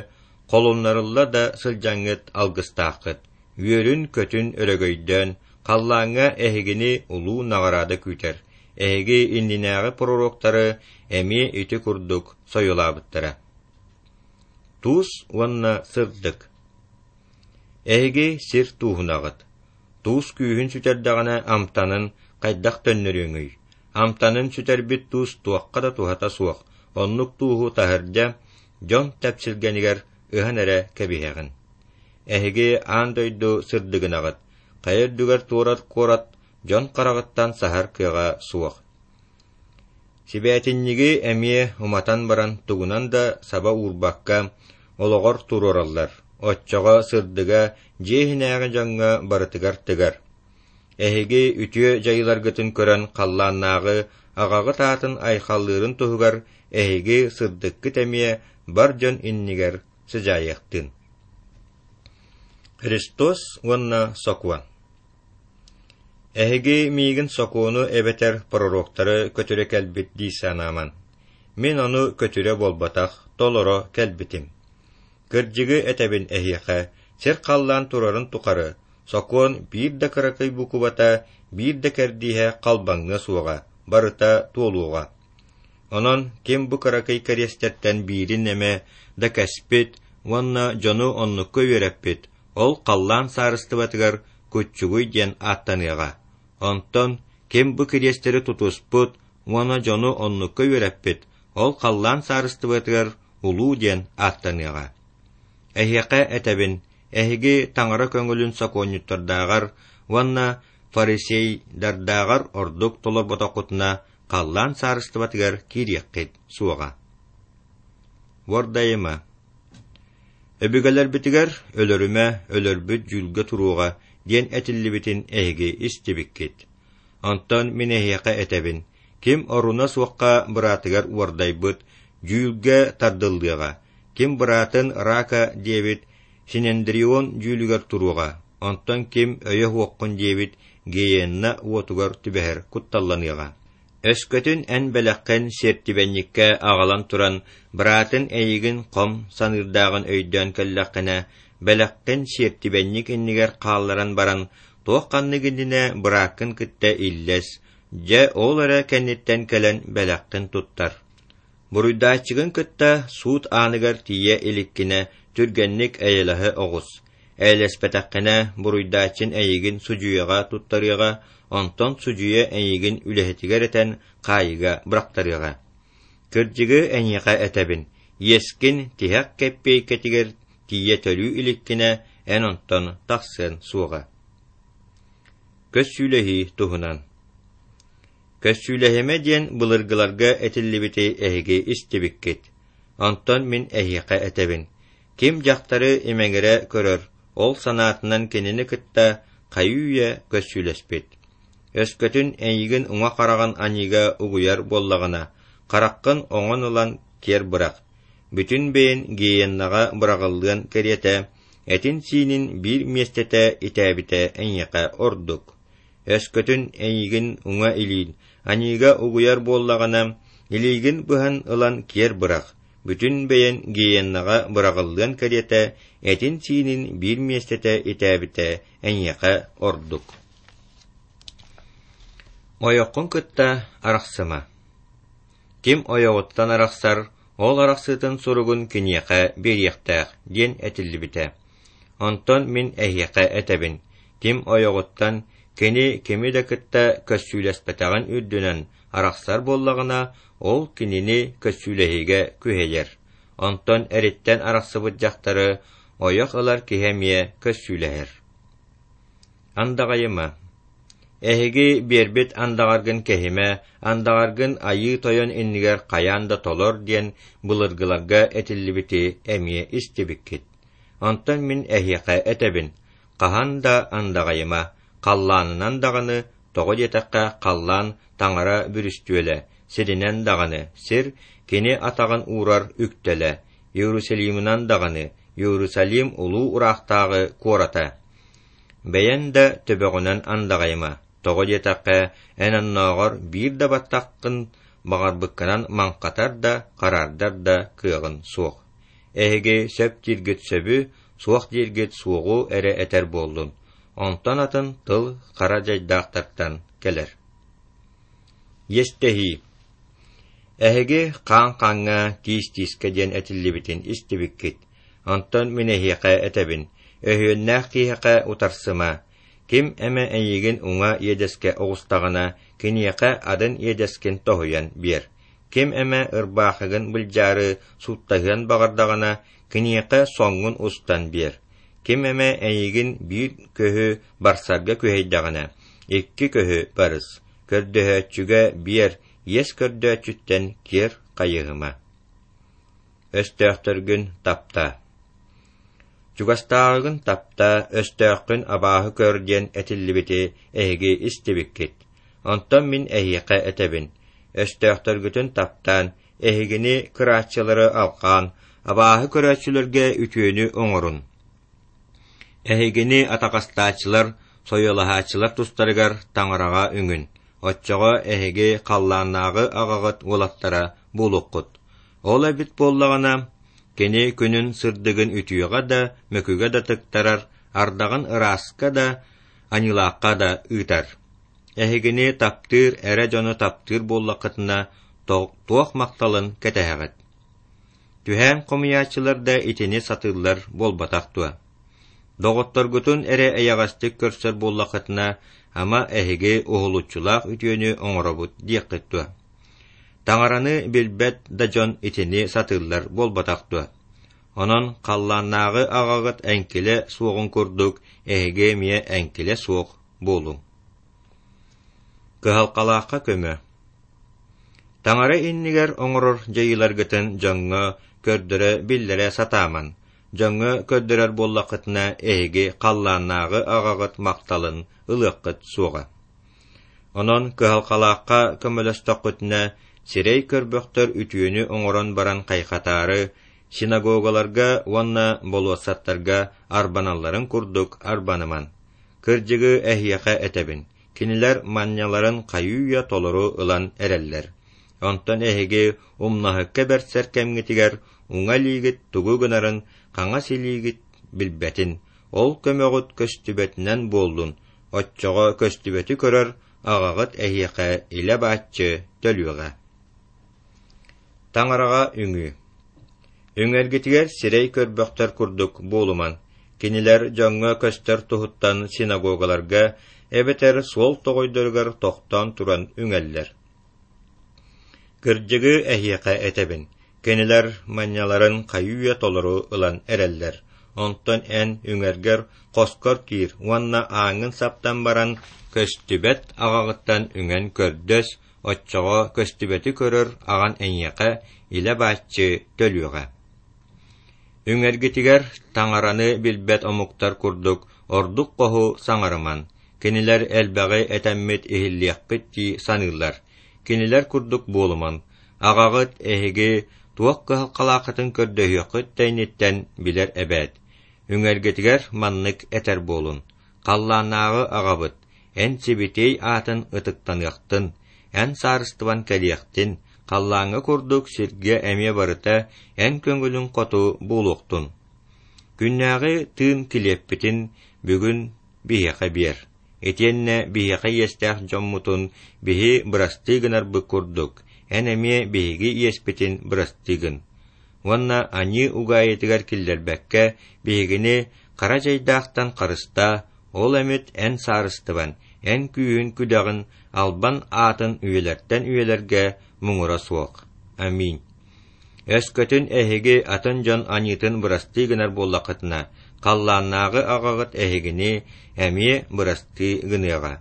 холуннарылла да сылдьаҥҥыт алгыстааххыт, үөрүн-көтүн өрөгөйдөөн, халлааҥҥа эһигини улуу наҕараада күүтэр, эһиги иннинээҕи пророктары эмиэ ити курдук сойулаабыттара. Туус уонна сырдык. Эһиги сир тууһунаҕыт. Туус күүһүн сүтэрдэҕинэ амтанын хайдах төннөрүөҥүй? Амтанын сүтэрбит туус туохха да туһата суох, оннук тууһу таһырдьа дьон тэпсилгэнигэр ыһан эрэ кэбиһэҕин. Эһиги аан дойду сырдыгынаҕыт, хайа үрдүгэр туорат куорат дьон хараҕыттан саһар кыаҕа суох. Сибээтинньиги эмиэ уматан баран тугунан да саба уурбакка олоҕор туруораллар, оччоҕо сырдыга дьиэ иһинээҕи дьоҥҥо барытыгар тыгар. Эһиги үтүө дьайыыларгытын көрөн халлааннааҕы аҕаҕыт аатын айхаллыырын туһугар эһиги сырдыккыт эмиэ бар дьон иннигэр сыдьаайыахтын. Христос уонна Сокуон. Эһиги миигин сокуону эбэтэр пророктары көтүрэ кэлбит дии санааман. Мин ону көтүрэ буолбатах, толоро кэлбитим. Кырдьыгы этэбин эһиэхэ, сир-халлаан турарын тухары, сокуон биир да кыракый букубата, биир да кэрдииһэ халбаҥныа суоҕа, барыта туолуоҕа. Онон ким бу кыракый кэриэстэртэн биирин эмэ да кэспит уонна дьону оннукка үөрэппит, ол халлаан саарыстыбатыгар куччугуй диэн ааттаныаҕа. Онтон ким бу кириэстэри тутуспут уонна дьону оннукка үөрэппит, ол халлаан саарыстыбатыгар улуу диэн ааттаныаҕа. Эһиэхэ этэбин, эһиги Таҥара көҥүлүн сокуонньуттардааҕар уонна фарисейдардааҕар ордук толорботоххутуна халлаан саарыстыбатыгар киириэххит суоҕа. Уордайыма. Өбүгэлэрбитигэр өлөрүмэ, өлөрбүт дьүүлгэ туруоҕа диэн этиллибитин эһиги истибиккит. Онтон мин эһиэхэ этэбин, ким оруна суохха быраатыгар уордайбыт, дьүүлгэ тардыллыаҕа, ким быраатын рака диэбит Синендрион дьүүлүгэр туруоҕа, онтон ким өйө суоххун диэбит геенна уотугар түбэһэр кутталланыаҕа. Өскөтүн эн бэлэххин сиэртибэнньиккэ аҕалан туран, быраатын эйигин хом саныырдааҕын өйдөөн кэллэххинэ, бэлэххин сиэртибэнньик иннигэр хаалларан баран, туох ханнык иннинэ бырааккын кытта иллэс, дьэ ол эрэ кэнниттэн кэлэн бэлэххин туттар. Буруйдааччыгын кытта суут ааныгар тиийэ иликкинэ түргэнник эйэлэһэ оҕус. Эйэлэспэтэххинэ буруйдааччын эйигин судьуйаҕа туттарыаҕа, онтон судьуйа эйигин үлэһитигэр этэн хаайыыга бырахтарыаҕа. Кырдьыгы эйиэхэ этэбин, иэскин тиһэх кэппиэйкэтигэр тиийэ төлүү иликкинэ эн онтон тахсыан суоҕа. Көссүүлэһии туһунан. Көссүүлэһимэ диэн былыргыларга этиллибити эһиги истибиккит. Онтон мин эһиэхэ этэбин, Ким дьахтары имэҥирэ көрөр, ол санаатынан кинини кытта хайыы-үйэ көссүүлэспит. Өскөтүн эйигин уҥа хараҕын аньыыга угуйар буоллаҕына, хараххын оҥон ылан киэр бырах. Бүтүн бэйэн гееннаҕа быраҕыллыан кэриэтэ, этин-сиинин биир миэстэтэ итээбитэ эйиэхэ ордук. Өскөтүн эйигин уҥа илиин аньыыга угуйар буоллаҕына, илиигин быһан ылан киэр бырах. Бүтүн бэйэн гееннаҕа быраҕыллыан кэриэтэ, этин-сиинин биир миэстэтэ итээбитэ эйиэхэ ордук. Ойоххун кытта арахсыма. Ким ойоҕуттан арахсар, ол арахсыытын суругун киниэхэ биэриэхтээх диэн этиллибитэ. Онтон мин эһиэхэ этэбин, ким ойоҕуттан кини кими да кытта көссүүлэспэтэҕин үрдүнэн арахсар буоллаҕына, ол кинини көссүүлэһиигэ күһэйэр. Онтон эриттэн арахсыбыт дьахтары ойох ылар киһи эмиэ көссүүлэһэр. Андаҕайыма. Эһиги биэрбит андаҕаргын кэһимэ, андаҕаргын Айыы Тойон иннигэр хайаан да толор диэн былыргыларга этиллибити эмиэ истибиккит. Онтон мин эһиэхэ этэбин, хаһан да андаҕайыма, халлаанынан даҕаны, тоҕо диэтэххэ халлаан Таҥара бүрүстүөлэ, сиринэн даҕаны, сир кини атаҕын уурар үктэлэ, Иерусалимынан даҕаны, Иерусалим улуу ыраахтааҕы куората. Бэйэн да төбөҕүнэн андаҕайыма, тоҕо диэтэххэ, эн оннооҕор биир да баттаххын баҕарбыккынан маҥхатар да, хараардар да кыаҕын суох. Эһиги сөп дииргит сөбү, суох дииргит суоҕу эрэ этэр буоллун, онтон атын тыл хара дьайдаахтартан кэлэр. Иэстэһии. Эһиги хаан хааҥҥа, тиис тиискэ диэн этиллибитин истибиккит. Онтон мин эһиэхэ этэбин, өһүөннээх киһиэхэ утарсыма. Ким эмэ эйигин уҥа иэдэскэ оҕустаҕына, киниэхэ атын иэдэскин тоһуйан биэр. Ким эмэ ырбаахыгын былдьаары сууттаһыан баҕардаҕына, киниэхэ соҥҥун устан биэр. Ким эмэ эйигин биир көһү барсарга күһэйдэҕинэ, икки көһү барыс. Көрдөһөөччүгэ биэр, иэс көрдөөччүттэн киэр хайыһыма. Өстөөхтөргүн таптаа. Чугастааҕыгын таптаа, өстөөххүн абааһы көр диэн этиллибити эһиги истибиккит. Онтон мин эһиэхэ этэбин, өстөөхтөргүтүн таптаан, эһигини кырааччылары алҕаан, абааһы көрөөччүлэргэ үтүөнү оҥорун. Эһигини атаҕастааччылар, сойуолаһааччылар тустарыгар Таҥараҕа үҥүн, оччоҕо эһиги халлааннааҕы аҕаҕыт уолаттара буолуоххут. Ол эбит буоллаҕына, кини күнүн сырдыгын үтүөҕэ да, мөкүгэ да тыктарар, ардаҕын ырааска да, аньыылаахха да ыытар. Эһигини таптыыр эрэ дьону таптыыр буоллаххытына, туох махталын кэтэһэҕит? Түһээн хомуйааччылар да итини сатыыллар буолбатах дуо? Доҕотторгутун эрэ эйэҕэстик көрсөр буоллаххытына, ама эһиги уһулуччулаах үтүөнү оҥоробут диэххит дуо? Таҥараны билбэт да дьон итини сатыыллар буолбатах дуо? Онон халлааннааҕы аҕаҕыт эҥкилэ суоҕун курдук, эһиги эмиэ эҥкилэ суох буолуҥ. Кыһалҕалаахха көмө. Таҥара иннигэр оҥорор дьайыыларгытын дьоҥҥо көрдөрө биллэрэ сатааман. Дьоҥҥо көрдөрөр буоллаххытына, эһиги халлааннааҕы аҕаҕыт махталын ылыаххыт суоҕа. Онон кыһалҕалаахха көмөлөстөххүтүнэ, сирэй көрбөхтөр үтүөнү оҥорон баран хайҕатаары, синагогаларга уонна болуоссаттарга арбаналларын курдук арбаныман. Кырдьыгы эһиэхэ этэбин, кинилэр манньаларын хайыы-үйэ толору ылан эрэллэр. Онтон эһиги умнаһыкка бэрсэр кэмҥитигэр уҥа илиигит тугу гынарын хаҥас илиигит билбэтин, ол көмөҕүт көстүбэтинэн буоллун, оччоҕо көстүбэти көрөр аҕаҕыт эһиэхэ илэ-бааччы төлүөҕэ. Таҥараҕа үҥүү. Үҥэргитигэр сирэй көрбөхтөр курдук буолуман, кинилэр дьоҥҥо көстөр туһуттан синагогаларга эбэтэр суол тоҕойдоругар тохтоон туран үҥэллэр. Кырдьыгы эһиэхэ этэбин, кинилэр манньаларын хайыы-үйэ толору ылан эрэллэр. Онтон эн үҥэргэр хоскор киир уонна ааҥҥын саптан баран көстүбэт аҕаҕыттан үҥэн көрдөс, оччоҕо көстүбэти көрөр аҕан эйиэхэ илэ-бааччы төлүөҕэ. Үҥэргитигэр Таҥараны билбэт омуктар курдук ордук хоһу саҥарыман, кинилэр элбэҕи этэммит иһиллиэхпит дии саныыллар. Кинилэр курдук буолуман, Аҕаҕыт эһиги туох кыһалҕалааххытын көрдөһүөххүт да инниттэн билэр эбээт. Үҥэргитигэр маннык этэр буолун: Халлааннааҕы Аҕабыт, Эн сибэтиэй аатын ытыктаныахтын, Эн саарыстыбан кэлиэхтин, халлааҥҥа курдук сиргэ эмиэ барыта Эн көҥүлүҥ хоту буолуохтун. Күннээҕи тыын килиэппитин бүгүн биһиэхэ биэр. Итиэннэ биһиэхэ иэстээх дьоммутун биһи бырастыы гынарбыт курдук, Эн эмиэ биһиги иэспитин бырастыы гын. Уонна аньыы угаайытыгар киллэрбэккэ, биһигини хара дьайдаахтан харыстаа, ол эмит Эн саарыстыбан, Эн күүһүн-күдэҕин, албан аатын үйэлэртэн үйэлэргэ муҥура суох. Аминь. Өскөтүн эһиги атын дьон аньыытын бырастыы гынар буоллаххытына, халлааннааҕы Аҕаҕыт эһигини эмиэ бырастыы гыныаҕа.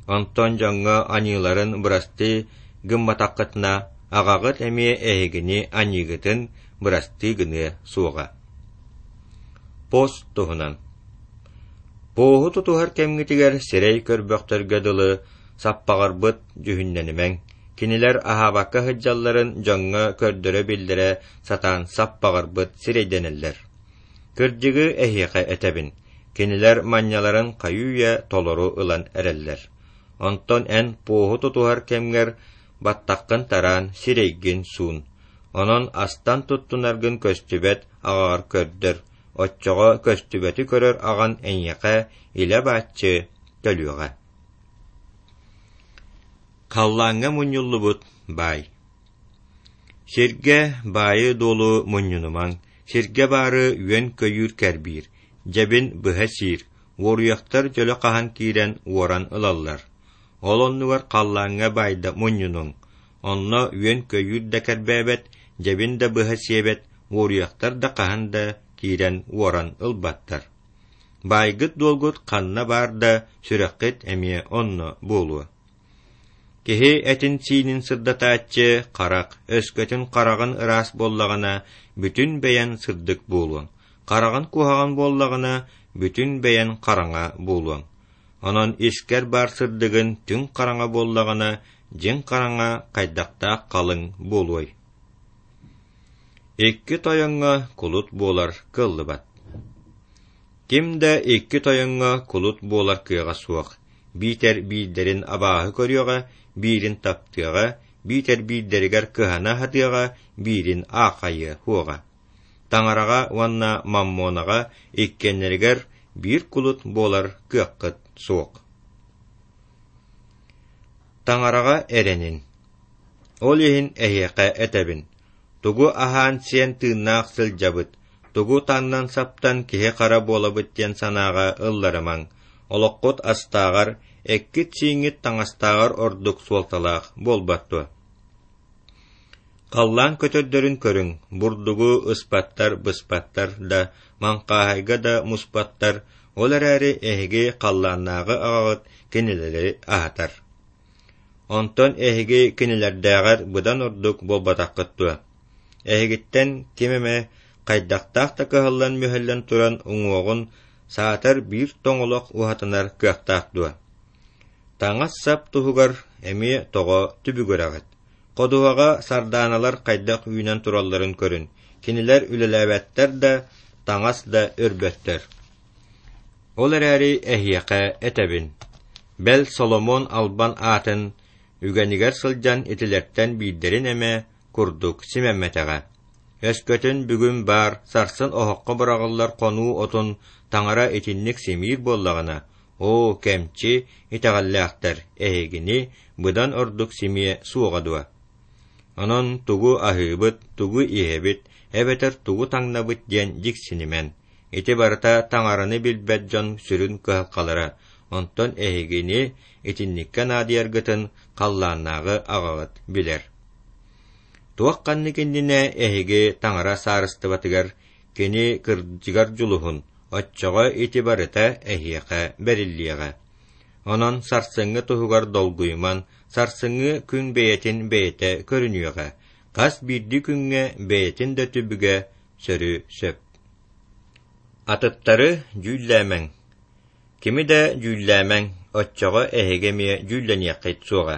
Онтон дьоҥҥо аньыыларын бырастыы гымматаххытына, Аҕаҕыт эмиэ эһигини аньыыгытын бырастыы гыныа суоҕа. Пост туһунан. Поһу тутуһар кэмҥитигэр сирэй көрбөхтөргө дылы саппаҕырбыт дьүһүннэнимэҥ, кинилэр аһаабакка сылдьалларын дьоҥҥо көрдөрө-биллэрэ сатаан саппаҕырбыт сирэйдэнэллэр. Кырдьыгы эһиэхэ этэбин, кинилэр манньаларын хайыы-үйэ толору ылан эрэллэр. Онтон эн поһу тутуһар кэмҥэр баттаххын тараан, сирэйгин суун. Онон астан туттунаргын көстүбэт аҕаҕар көрдөр, оччоҕо көстүбэти көрөр аҕан эйиэхэ илэ-бааччы төлүөҕэ. Халлааҥҥа мунньуллубут баай. Сиргэ баайы-дуолу мунньунумаҥ, сиргэ баары үөн-көйүүр кэрбиир, дьэбин быһа сиир, уоруйахтар дьөлө хаһан киирэн уоран ылаллар. Ол оннугар халлааҥҥа баайда мунньунуҥ, онно үөн-көйүүр да кэрбээбэт, дьэбин да быһа сиэбэт, уоруйахтар да хаһан да киирэн уоран ылбаттар. Баайгыт-дуолгут ханна баар да, сүрэххит эмиэ онно буолуо. Киһи этин-сиинин сырдатааччы харах, өскөтүн хараҕын ыраас буоллаҕына, бүтүн бэйэн сырдык буолуоҥ. Хараҕын куһаҕан буоллаҕына, бүтүн бэйэн хараҥа буолуоҥ. Онон искэр баар сырдыгын түҥ хараҥа буоллаҕына, дьиҥ хараҥа хайдахтаах халыҥ буолуой? Икки тойоҥҥо кулут буолар кыаллыбат. Ким да икки тойоҥҥо кулут буолар кыаҕа суох, биитэр биирдэрин абааһы көрүөҕэ, биирин таптыаҕа, биитэр биирдэригэр кыһана сатыаҕа, биирин аахайыа суоҕа. Таҥараҕа уонна Маммонаҕа иккиэннэригэр биир кулут буолар кыаххыт суох. Таҥараҕа эрэнин. Ол иһин эһиэхэ этэбин, тугу аһаан-сиэн тыыннаах сылдьабыт, тугу таҥнан-саптан киһи-хара буолабыт диэн санааҕа ылларымаҥ, олоххут астааҕар, эккит-сииҥҥит таҥастааҕар ордук суолталаах буолбат дуо? Халлаан көтөрдөрүн көрүҥ, бурдугу ыспаттар, быспаттар да, маҥхааһайга да муспаттар, ол эрээри эһиги халлааннааҕы аҕаҕыт кинилэри аһатар. Онтон эһиги кинилэрдээҕэр быдан ордук буолбатаххыт дуо? Эһигиттэн ким эмэ хайдахтаах да кыһаллан-мүһэллэн туран уҥуоҕун саатар биир тоҥолох уһатынар кыахтаах дуо? Таҥас-сап туһугар эмиэ тоҕо түбүгүрэҕит? Ходуһаҕа сардааналар хайдах үүнэн туралларын көрүн, кинилэр үлэлээбэттэр да, таҥас да өрбөттөр. Ол эрээри эһиэхэ этэбин, бэл Соломон албан аатын үгэнигэр сылдьан итилэртэн биирдэрин эмэ курдук симэммэтэҕэ. Өскөтүн бүгүн баар, сарсын оһоххо быраҕыллар хонуу отун Таҥара итинник симиир буоллаҕына, оо, кэмчи итэҕэллээхтэр, эһигини быдан ордук симиэ суоҕа дуо? Онон тугу аһыыбыт, тугу иһэбит, эбэтэр тугу таҥнабыт диэн дьиксинимэн. Ити барыта Таҥараны билбэт дьон сүрүн кыһалҕалара, онтон эһигини итинниккэ наадыйаргытын халлааннааҕы аҕаҕыт билэр. Туох ханнык иннинэ эһиги Таҥара саарыстыбатыгар кини кырдьыгар дьулуһун, оччоҕо ити барыта эһиэхэ бэриллиэҕэ. Онон сарсыҥҥы туһугар долгуйуман, сарсыҥҥы күн бэйэтин бэйэтэ көрүнүөҕэ, хас биирдии күҥҥэ бэйэтин да түбүгэ сөрү сөп. Атыттары дьүүллээмэҥ. Кими да дьүүллээмэҥ, оччоҕо эһиги эмиэ дьүүллэниэххит суоҕа.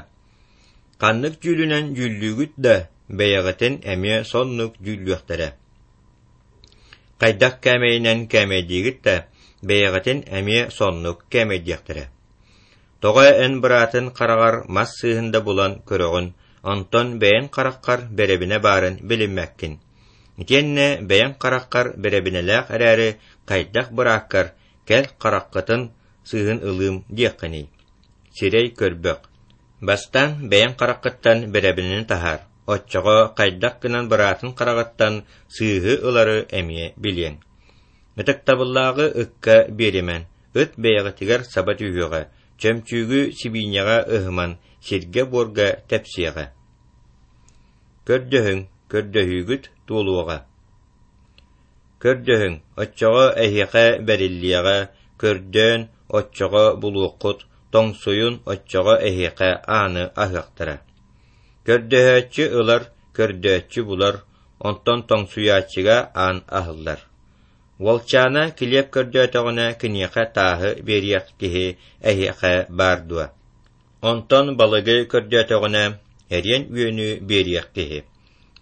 Ханнык дьүүлүнэн дьүүллүүгүт да, бэйэҕитин эмиэ соннук дьүүллүөхтэрэ. Хайдах кээмэйинэн кээмэйдиигит да, бэйэҕитин эмиэ соннук кээмэйдиэхтэрэ. Тоҕо эн быраатын хараҕар мас сыыһын да булан көрөҕүн, онтон бэйэҥ хараххар бэрэбинэ баарын билиммэккин. Итиэннэ бэйэҥ хараххар бэрэбинэлээх эрээри хайдах бырааккар кэл хараххытын сыыһын ылыым диэххиний? Сирэй көрбөх. Бастаан бэйэҥ хараххыттан бэрэбинэни таһаар, оччоҕо хайдах гынан быраатын хараҕыттан сыыһы ылары эмиэ билиэҥ. Ытыктабыллааҕы ыкка биэримэн, ыт бэйэҕитигэр саба түһүөҕэ, чөмчүүгү сибиинньэҕэ ыһыман, сиргэ-буорга тэпсиэҕэ. Көрдөһүҥ, көрдөһүүгүт туолуоҕа. Көрдөһүҥ, оччоҕо эһиэхэ бэриллиэҕэ, көрдөөн, оччоҕо булуоххут, тоҥсуйун, оччоҕо эһиэхэ ааны аһыахтара. Көрдөһөөччү ылар, көрдөөччү булар, онтон тоҥсуйааччыга аан аһыллар. Уолчаана килиэп көрдөөтөҕүнэ киниэхэ тааһы биэриэх киһи эһиэхэ баар дуо? Онтон балыгы көрдөөтөҕүнэ эриэн үөнү биэриэх киһи.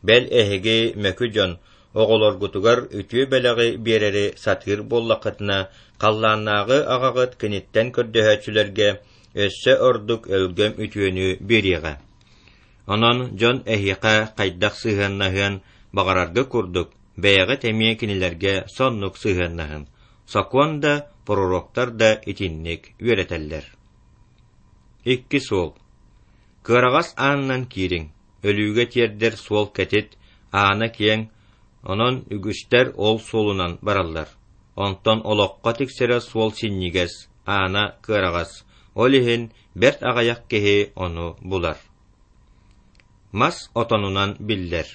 Бэл эһиги мөкү дьон оҕолоргутугар үтүө бэлэҕи биэрэри сатыыр буоллаххытына, халлааннааҕы аҕаҕыт киниттэн көрдөһөөччүлэргэ өссө ордук өлгөм үтүөнү биэриэҕэ. Онон дьон эһиэхэ хайдах сыһыаннаһыан баҕарарга курдук, бэйэҕит эмиэ кинилэргэ соннук сыһыаннаһын. Сокуон да, пророктар да итинник үөрэтэллэр. Икки суол. Кыараҕас аанынан киириҥ, өлүүгэ тиэрдэр суол кэтит, аана киэҥ, онон үгүстэр ол суолунан бараллар. Онтон олоххо тиксэрэ суол синньигэс, аана кыараҕас, ол иһин бэрт аҕыйах киһи ону булар. Мас отонунан биллэр.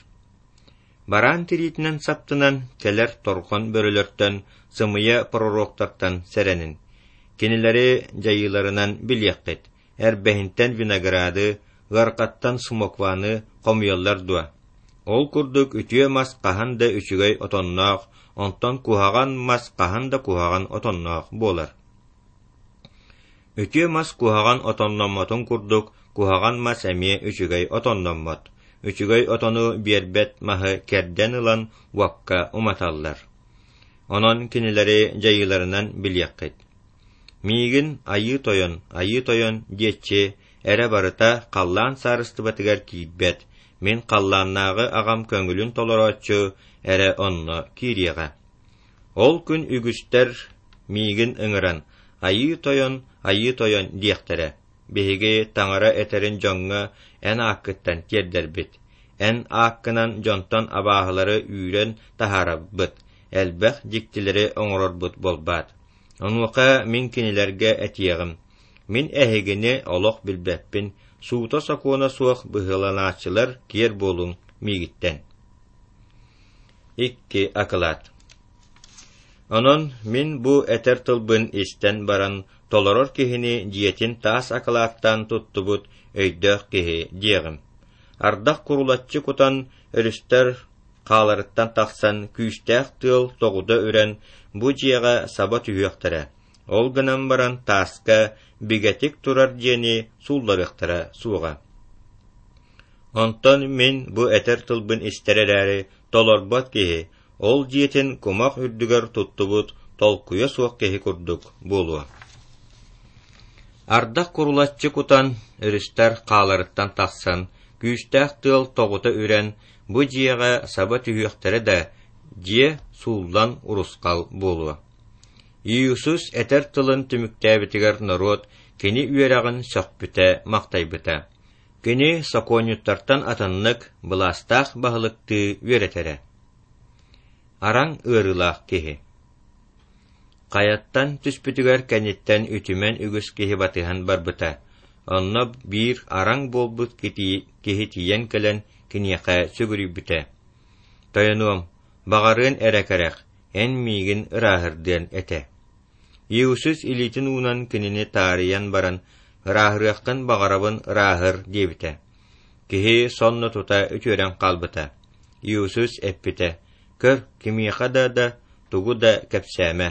Бараан тириитинэн саптынан кэлэр торҕон бөрөлөртөн, сымыйа пророктартан сэрэнин. Кинилэри дьайыыларынан билиэххит, эрбэһинтэн винограды, ыарҕаттан смокваны хомуйаллар дуо? Ол курдук үтүө мас хаһан да үчүгэй отонноох, онтон куһаҕан мас хаһан да куһаҕан отонноох буолар. Үтүө мас куһаҕан отонноммотун курдук, куһаҕан мас эмиэ үчүгэй отонноммот. Үчүгэй отону биэрбэт маһы кэрдэн ылан уокка уматаллар. Онон кинилэри дьайыыларынан билиэххит. Миигин Айыы Тойон, Айыы Тойон диэччи эрэ барыта халлаан саарыстыбатыгар киирбэт, мин халлааннааҕы аҕам көҥүлүн толорооччу эрэ онно киириэҕэ. Ол күн үгүстэр миигин ыҥыран, Айыы Тойон, Айыы Тойон диэхтэрэ. Биһиги Таҥара этэрин дьоҥҥо эн ааккыттан тиэрдэрбит. Эн ааккынан дьонтон абааһылары үүрэн таһаарабыт, элбэх дьиктилэри оҥорорбут буолбаат. Онуоха мин кинилэргэ этиэҕим: мин эһигини олох билбэппин, суута-сокуона суох быһыыланааччылар киэр буолуҥ миигиттэн. Икки акылаат. Онон мин бу этэр тылбын истэн баран толорор киһини дьиэтин таас акылааттаан туттубут өйдөөх киһи диэҕим. Ардах курулаччы кутан, өрүстэр хааларыттан тахсан, күүстээх тыал тоҕута үрэн, бу дьиэҕэ саба түһүөхтэрэ. Ол гынан баран тааска бигэтик турар дьиэни суулларыахтара суоҕа. Онтон мин бу этэр тылбын истэр эрээри толорбот киһи, ол дьиэтин кумах үрдүгэр туттубут толкуйа суох киһи курдук буолуо. Ардах курулаччы кутан, өрүстэр хааларыттан тахсан, күүстээх тыал тоҕута үрэн, бу дьиэҕэ саба түһүөхтэрэ да, дьиэ сууллан урусхал буолуо. Иисус этэр тылын түмүктээбитигэр норуот кини үөрэҕин сөхпүтэ-махтайбыта. Кини сокуонньуттартан атыннык, былаастаах баһылыктыы үөрэтэрэ. Араҥ ыарыылаах киһи. Хайаттан түспүтүгэр кэнниттэн үтүмэн үгүс киһи батыһан барбыта. Онно биир араҥ буолбут киһи тиийэн кэлэн киниэхэ сүгүрүйбүтэ. Тойонуом, баҕарыан эрэ кэрэх, эн миигин ырааһырдыан этэ. Иисус илиитин уунан кинини таарыйан баран, ырааһырыаххын баҕарабын ырааһыр диэбитэ. Киһи сонно тута үтүөрэн хаалбыта. Иисус эппитэ: «Көр, кимиэхэ да да тугу да кэпсээмэ.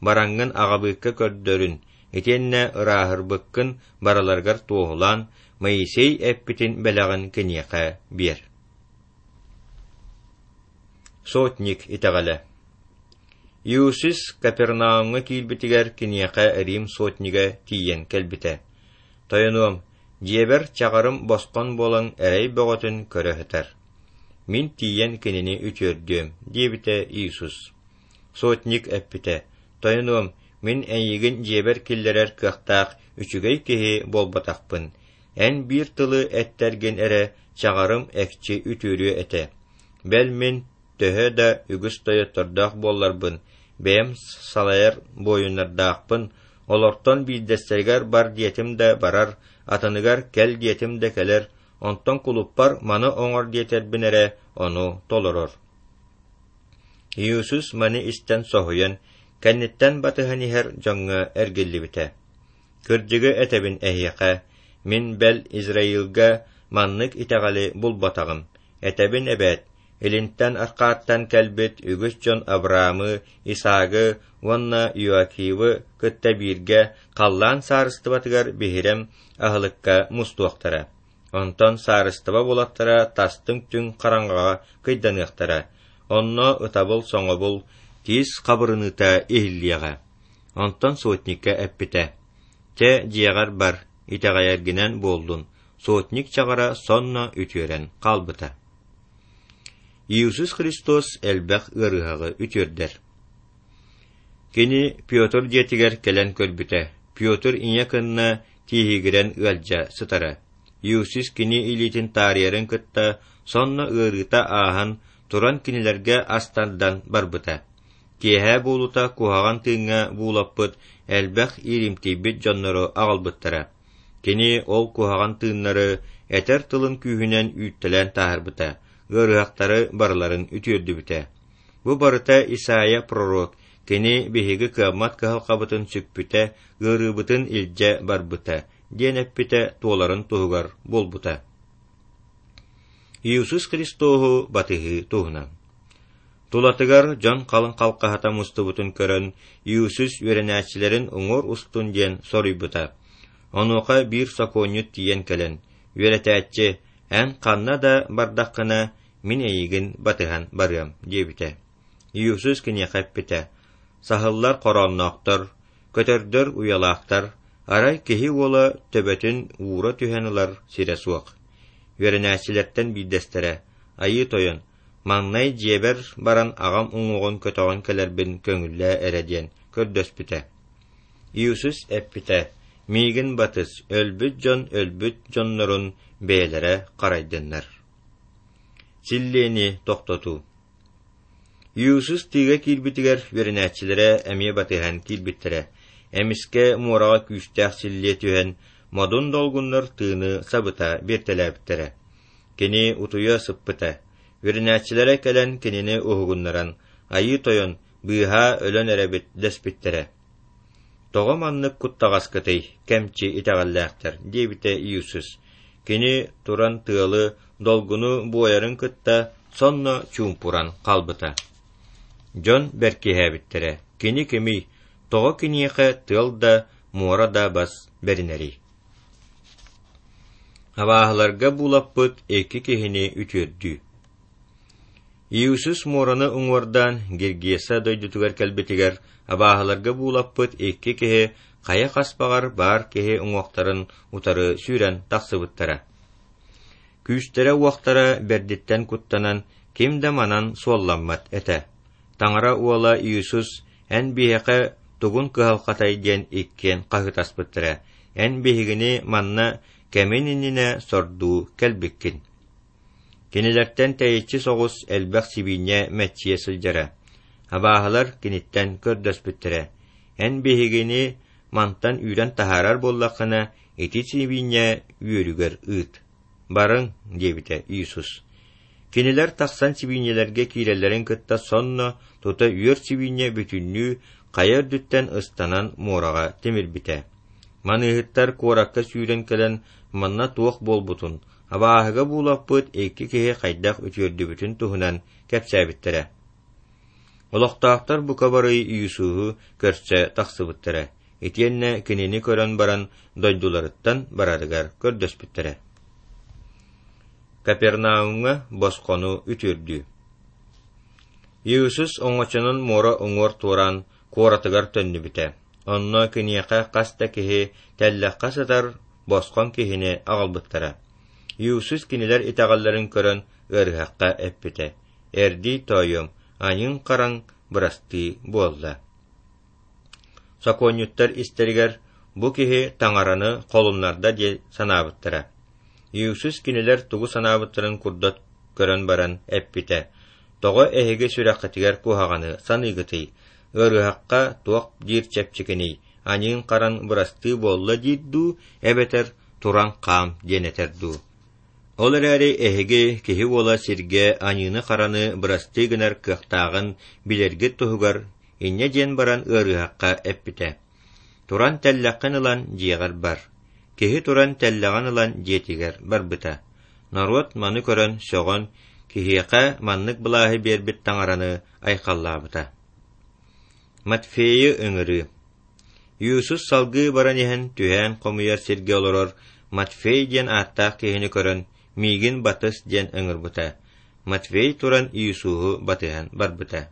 Бараҥҥын аҕабыыкка көрдөрүн, итиэннэ ырааһырбыккын барыларыгар туоһулаан, Моисей эппитин бэлэҕин киниэхэ биэр. Сотник итэҕэлэ. Иисус Капернаумҥа киирбитигэр киниэхэ Рим сотнига тиийэн кэлбитэ. Тойонуом, дьиэбэр чаҕарым босхон буолан эрэй бөҕөтүн көрө сытар. Мин тиийэн кинини үтүөрдүөм, диэбитэ Иисус. Сотник эппитэ, Тойонуом, мин эйигин дьиэбэр киллэрэр кыахтаах үчүгэй киһи буолбатахпын. Эн биир тылы эттэргин эрэ чаҕарым экчи үтүөрүө этэ. Бэл мин төһө да үгүс тойоттордоох буолларбын, бэйэм салайар буойуннардаахпын, олортон биирдэстэригэр бар диэтим да барар, атыныгар кэл диэтим да кэлэр, онтон кулуппар маны оҥор диэтэрбин эрэ ону толорор. Иисус маны истэн соһуйан, кэнниттэн батыһан иһэр дьоҥҥо эргиллибитэ. Кырдьыгы этэбин эһиэхэ, мин бэл Израилга маннык итэҕэли булбатаҕым. Этэбин эбээт, илинтэн арҕааттан кэлбит үгүс дьон Авраамы, Исаагы уонна Иоакивы кытта бииргэ халлаан саарыстыбатыгар биһирэм аһылыкка мустуохтара. Онтон саарыстыба уолаттара тастыҥ түҥ хараҥаҕа кыйданыахтара. Онно ытабыл-соҥобул, тиис хабырыныыта иһиллиэҕэ. Онтон сотникка эппитэ: «Чэ, дьиэҕэр бар, итэҕэйэргинэн буоллун». Сотник чаҕара сонно үтүөрэн хаалбыта. Иисус Христос элбэх ыарыһаҕы үтүөрдэр. Кини Петр дьиэтигэр кэлэн көрбүтэ, Петр ийэ кынна тииһигирэн ыалдьа сытара. Иисус кини илиитин таарыйарын кытта сонно ыарыыта ааһан, туран кинилэргэ ас тардан барбыта. Киэһэ буолуута куһаҕан тыыҥҥа буулаппыт элбэх ииримтийбит дьоннору аҕалбыттара. Кини ол куһаҕан тыыннары этэр тылын күүһүнэн үүттэлээн таһаарбыта, ыарыһахтары барыларын үтүөрдүбүтэ. Бу барыта Исаия пророк, кини биһиги кыаммат кыһалҕабытын сүкпүтэ, ыарыыбытын илдьэ барбыта, диэн эппитэ туоларын туһугар буолбута. Иисус Христоһу батыһыы туһунан. Тулатыгар дьон халыҥ халҕаһата мустубутун көрөн, Иисус үөрэнээччилэрин уҥуор устун диэн соруйбута. Онуоха биир сокуонньут тиийэн кэлэн, «Үөрэтээччи, эн ханна да бардаххына, мин эйигин батыһан барыам» диэбитэ. Иисус киниэхэ эппитэ, «Саһыллар хороонноохтор, көтөрдөр уйалаахтар, арай киһи уола төбөтүн уура түһэн ылар сирэ суох». Үөрэнээччилэртэн биирдэстэрэ, «Айыы Тойон, маҥнай дьиэбэр баран аҕам уҥуоҕун көтөҕөн кэлэрбин көҥүллээ эрэ» диэн көрдөспүтэ. Иисус эппитэ, «Миигин батыс, өлбүт дьон өлбүт дьоннорун бэйэлэрэ харайдыннар». Силлиэни тохтотуу. Иисус тыыга киирбитигэр үөрэнээччилэрэ эмиэ батыһан киирбиттэрэ. Эмискэ муораҕа күүстээх силлиэ түһэн, модун долгуннар тыыны сабыта биэртэлээбиттэрэ. Кини утуйа сыппыта. Үөрэнээччилэрэ кэлэн кинини уһугуннаран, «Айыы Тойон, быыһаа өлөн эрэбит» дэспиттэрэ. «Тоҕо маннык куттаҕаскытый, кэмчи итэҕэллээхтэр?» диэбитэ Иисус. Кини туран тыалы, долгуну буойарын кытта сонно чуумпуран хаалбыта. Дьон бэркиһээбиттэрэ: «Кини кимий? Тоҕо киниэхэ тыал да, муора да бас бэринэрий?» Абааһыларга буулаппыт икки киһини үтүөрдүү. Иисус муораны уҥуордаан Гиргеса дойдутугар кэлбитигэр абааһыларга буулаппыт икки киһи хайа хаспаҕар баар киһи уҥуохтарын утары сүүрэн тахсыбыттара. Күүстэрэ-уохтара бэрдиттэн куттанан ким да манан суолламмат этэ. Таҥара уола Иисус эн биһиэхэ тугун кыһалҕатай диэн иккиэн хаһыытаспыттара. Эн биһигини манна кэмин иннинэ сордуу кэлбиккин. Кинилэртэн тэйиччи соҕус элбэх сибиинньэ мэччийэ сылдьара. Абааһылар киниттэн көрдөспүттэрэ: «Эн биһигини мантан үүрэн таһаарар буоллаххына, ити сибиинньэ үөрүгэр ыыт». «Барыҥ», диэбитэ Иисус. Кинилэр тахсан сибиинньэлэргэ киирэллэрин кытта сонно тута үөр сибиинньэ бүтүннүү хайа үрдүттэн ыстанан муораҕа тимирбитэ. Маныыһыттар куоракка сүүрэн кэлэн манна туох буолбутун, абааһыга буулаппыт икки киһи хайдах үтүөрдүбүтүн туһунан кэпсээбиттэрэ. Олохтоохтор бука бары Иисуһу көрсө тахсыбыттара, итиэннэ кинини көрөн баран дойдуларыттан барарыгар көрдөспүттэрэ. Капернаумҥа босхону үтүөрдүү. Иисус оҥочонон муора уҥуор туораан куоратыгар төннүбүтэ. Онно киниэхэ хас да киһи тэллэххэ сытар босхоҥ киһини аҕалбыттара. Иисус кинилэр итэҕэллэрин көрөн ыарыһахха эппитэ: «Эрдий тоойуом, аньыҥ-хараҥ бырастыы буолла». Сокуонньуттар истэригэр бу киһи Таҥараны холуннарда дии санаабыттара. Иисус кинилэр тугу санаабыттарын курдат көрөн баран эппитэ: «Тоҕо эһиги сүрэххитигэр куһаҕаны саныыгытый? Ыарыһахха туох диир чэпчэкиний, аньыыҥ-хараҥ бырастыы буолла диир дуу, эбэтэр туран хаам диэн этэр дуу? Ол эрээри эһиги Киһи Уола сиргэ аньыыны-хараны бырастыы гынар кыахтааҕын билэргит туһугар инньэ диэн баран ыарыһахха эппитэ: Туран тэллэххин ылан дьиэҕэр бар. Киһи туран тэллэҕин ылан дьиэтигэр барбыта. Норуот маны көрөн сөҕөн, киһиэхэ маннык былааһы биэрбит Таҥараны айхаллаабыта. Матфейы ыҥырыы. Иисус салгыы баран иһэн түһээн хомуйар сиргэ олорор Матфей диэн ааттаах киһини көрөн, «Миигин батыс» диэн ыҥырбыта. Матфей туран Иисуһу батыһан барбыта.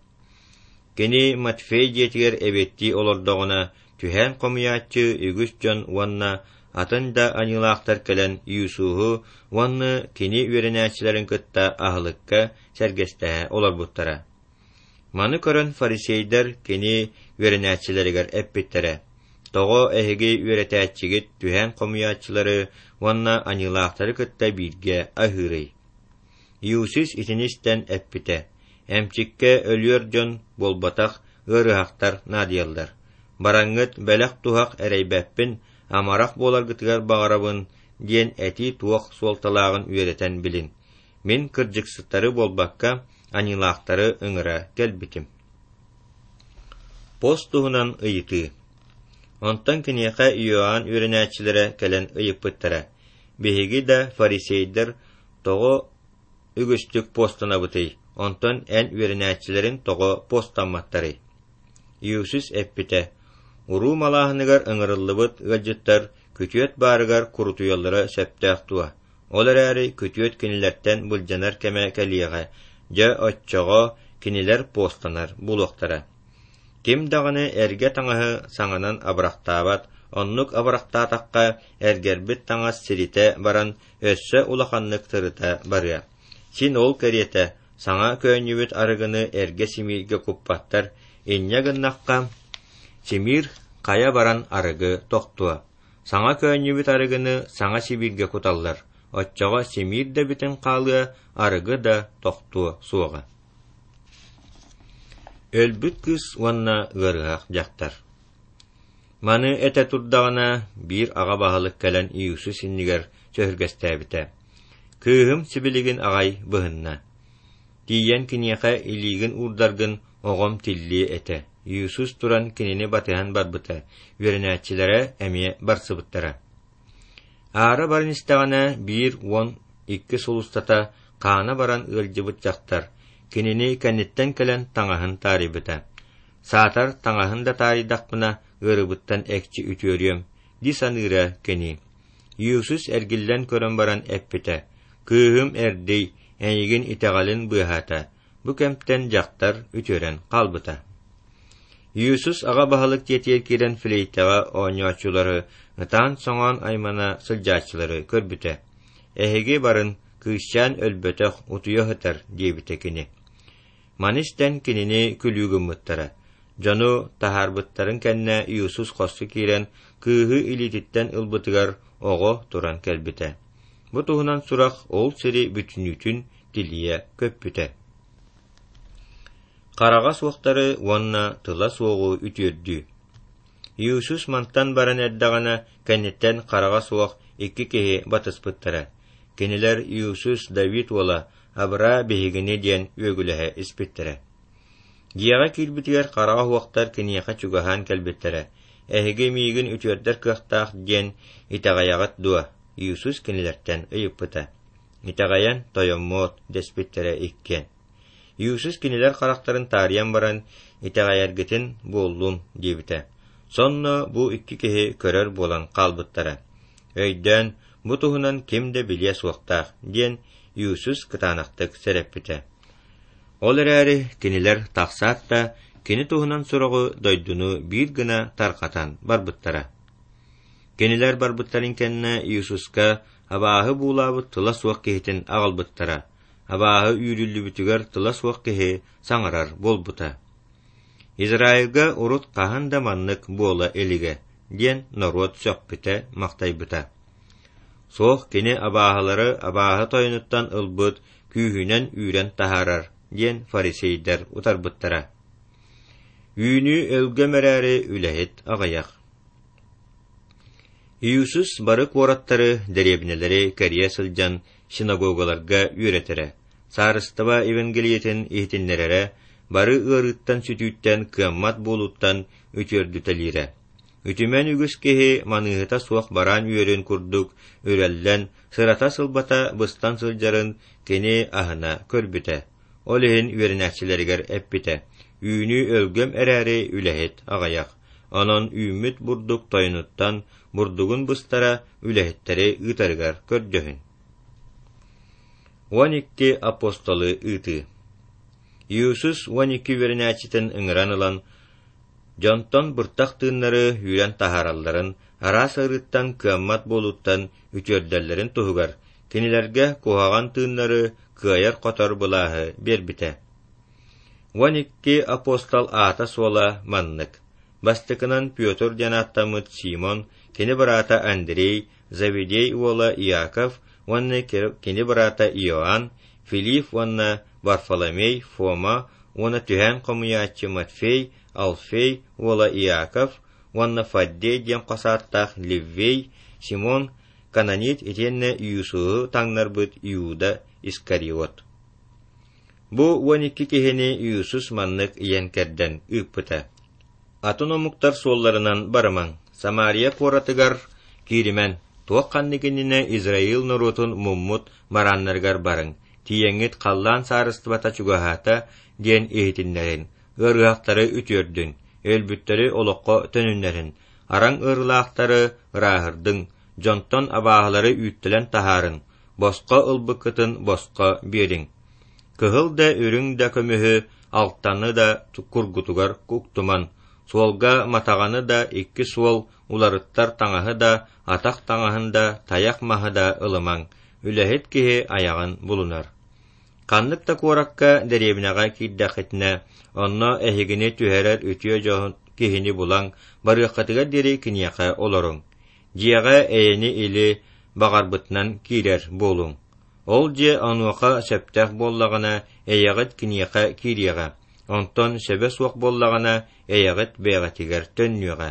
Кини Матфей дьиэтигэр эбиэттии олордоҕуна, түһээн хомуйааччы үгүс дьон уонна атын да аньыылаахтар кэлэн Иисуһу уонна кини үөрэнээччилэрин кытта аһылыкка сэргэстэһэ олорбуттара. Маны көрөн фарисейдар кини үөрэнээччилэригэр эппиттэрэ: «Тоҕо эһиги үөрэтээччигит түһээн хомуйааччылары уонна аньыылаахтары кытта бииргэ аһыырый?» Иисус итини истэн эппитэ: «Эмчиккэ өлүөр дьон буолбатах, ыарыһахтар наадыйаллар. Бараҥҥыт бэлэх-туһах эрэйбэппин, амарах буоларгытыгар баҕарабын» диэн этии туох суолталааҕын үөрэтэн билин. Мин кырдьыксыттары буолбакка, аньыылаахтары ыҥыра кэлбитим. Пост туһунан ыйытыы. Онтон киниэхэ Иоанн үөрэнээччилэрэ кэлэн ыйыппыттара: «Биһиги да фарисейдар тоҕо үгүстүк постанабытый, онтон эн үөрэнээччилэрин тоҕо постамматтарый?» Иисус эппитэ: «Уруу малааһыныгар ыҥырыллыбыт ыалдьыттар күтүөт баарыгар курутуйаллара сөптөөх дуо? Ол эрээри күтүөт кинилэртэн былдьанар кэмэ кэлиэҕэ, дьэ оччоҕо кинилэр постанар буолуохтара. Ким даҕаны эргэ таҥаһы саҥанан абырахтаабат, оннук абырахтаатахха эргэрбит таҥас сиритэ баран өссө улаханнык тырыта барыа. Син ол кэриэтэ саҥа көөнньүбүт арыгыны эргэ симииргэ куппаттар, инньэ гыннахха симиир хайа баран арыгы тохтуо. Саҥа көөнньүбүт арыгыны саҥа сибииргэ куталлар, оччоҕо симиир да бүтэн хаалыа, арыгы да тохтуо суоҕа». Өлбүт кыыс уонна ыарыһах дьахтар. Маны этэ турдаҕына, биир аҕа баһылык кэлэн Иисус иннигэр сөһүргэстээбитэ: «Кыыһым сибилигин аҕай быһынна. Тиийэн киниэхэ илиигин уурдаргын оҕом тиллиэ этэ». Иисус туран кинини батыһан барбыта, үөрэнээччилэрэ эмиэ барсыбыттара. Аара баран истэҕинэ, биир уон икки сыл устата хаана баран ыалдьыбыт дьахтар кинини кэнниттэн кэлэн таҥаһын таарыйбыта. «Саатар таҥаһын да таарыйдахпына, ыарыыбыттан экчи үтүөрүөм» дии саныыра кини. Иисус эргиллэн көрөн баран эппитэ: «Кыыһым эрдий, эйигин итэҕэлин быыһаата». Бу кэмтэн дьахтар үтүөрэн хаалбыта. Иисус аҕа баһылык дьиэтигэр киирэн флейтэҕэ оонньооччулары, ытаан-соҥоон аймана сылдьааччылары көрбүтэ. «Эһиги барын, кыысчаан өлбөтөх, утуйа сытар» диэбитэ кини. Маны истэн кинини күлүү гыммыттара. Дьону таһаарбыттарын кэннэ Иисус хоско киирэн кыыһы илиититтэн ылбытыгар оҕо туран кэлбитэ. Бу туһунан сурах ол сири бүтүннүүтүн тилийэ көппүтэ. Хараҕа суохтары уонна тыла суоҕу үтүөрдүү. Иисус мантан баран эрдэҕинэ, кэнниттэн хараҕа суох икки киһи батыспыттара. Кинилэр Иисус Давид уола, абыраа биһигини диэн үөгүлэһэ испиттэрэ. Дьиэҕэ киирбитигэр хараҕа суохтар киниэхэ чугаһаан кэлбиттэрэ. «Эһиги миигин үтүөрдэр кыахтаах диэн итэҕэйэҕит дуо?» Иисус кинилэртэн ыйыппыта. «Итэҕэйэн тойоммуот» дэспиттэрэ иккиэн. Иисус кинилэр харахтарын таарыйан баран, итэҕэйэргитин буоллун диэбитэ. Сонно бу икки киһи көрөр буолан хаалбыттара. Өйдөөн, бу туһунан ким да билиэ суохтаах, диэн Иисус кытаанахтык сэрэппитэ. Ол эрээри кинилэр тахсаат да, кини туһунан сураҕы дойдуну биир гына тарҕатан барбыттара. Кинилэр барбыттарын кэннэ Иисуска абааһы буулаабыт тыла суох киһитин аҕалбыттара. Абааһы үүрүллүбүтүгэр тыла суох киһи саҥарар буолбута. Израильга урут хаһан да маннык буола илигэ, диэн норуот сөхпүтэ-махтайбыта. Суох кини абааһылары абааһы тойонуттан ылбыт күүһүнэн үүрэн таһаарар, диэн фарисейдар утарбыттара. Үүнүү өлгөм эрээри үлэһит аҕыйах. Иисус бары куораттары, дэриэбинэлэри кэрийэ сылдьан синагогаларга үөрэтэрэ, Саарыстыба Евангелиетын иһитиннэрэрэ, бары ыарыыттан-сүтүүттэн, кыаммат буолууттан үтүөрдүтэлиирэ. Үтүмэн үгүс киһи маныыһыта суох бараан үөрүн курдук үрэллэн, сырата-сылбата быстан сылдьарын кини аһына көрбүтэ. Ол иһин үөрэнээччилэригэр эппитэ: Үүнүү өлгөм эрээри үлэһит аҕыйах. Онон үүммүт бурдук тойонуттан бурдугун быстара үлэһиттэри ыытарыгар көрдөһүн. Уон икки апостолы ыытыы. Иисус уон икки үөрэнээччитин ыҥыран ылан, дьонтон быртах тыыннары үүрэн таһааралларын, араас ыарыыттан кыаммат буолууттан үтүөрдэллэрин туһугар, кинилэргэ куһаҕан тыыннары кыайар-хотор былааһы биэрбитэ. Уон икки апостол аата-суола маннык: бастакынан Петр диэн ааттаммыт Симон, кини быраата Андрей, Заведей уола Иаков уонна кини быраата Иоанн, Филипп уонна Варфоломей, Фома уонна түһээн хомуйааччы Матфей, Алфей уола Иаков уонна Фаддей диэн хос ааттаах Леввей, Симон, Кананит итиэннэ Иисуһу таҥнарбыт Иуда Искариот. Бу уон икки киһини Иисус маннык ыйан-кэрдэн ыыппыта: Атын омуктар суолларынан барымаҥ, Самария куоратыгар кииримэн, туох ханнык иннинэ Израиль норуотун муммут барааннарыгар барыҥ, тиийэҥҥит халлаан саарыстыбата чугаһаата диэн иһитиннэрин, ыарыһахтары үтүөрдүн, өлбүттэри олоххо төнүннэрин, араҥ ыарыылаахтары ырааһырдыҥ, дьонтон абааһылары үүттэлэн таһаарыҥ, босхо ылбыккытын босхо биэриҥ. Кыһыл да үрүҥ да көмүһү, алтаны да кургутугар уктуман, суолга матаҕаны да икки суол уларыттар таҥаһы да, атах таҥаһын да, тайах маһы да ылымаҥ, үлэһит киһи айаҕын булунар. Ханнык да куоракка, дэриэбинэҕэ киирдэххитинэ, онно эһигини түһэрэр үтүө дьон киһини булан, барыаххытыгар диэри киниэхэ олоруҥ. Дьиэҕэ эйэни-или баҕарбытынан киирэр буолуҥ. Ол дьиэ онуоха сөптөөх буоллаҕына, эйэҕит киниэхэ киириэҕэ, онтон сөбө суох буоллаҕына, эйэҕит бэйэҕитигэр төннүөҕэ.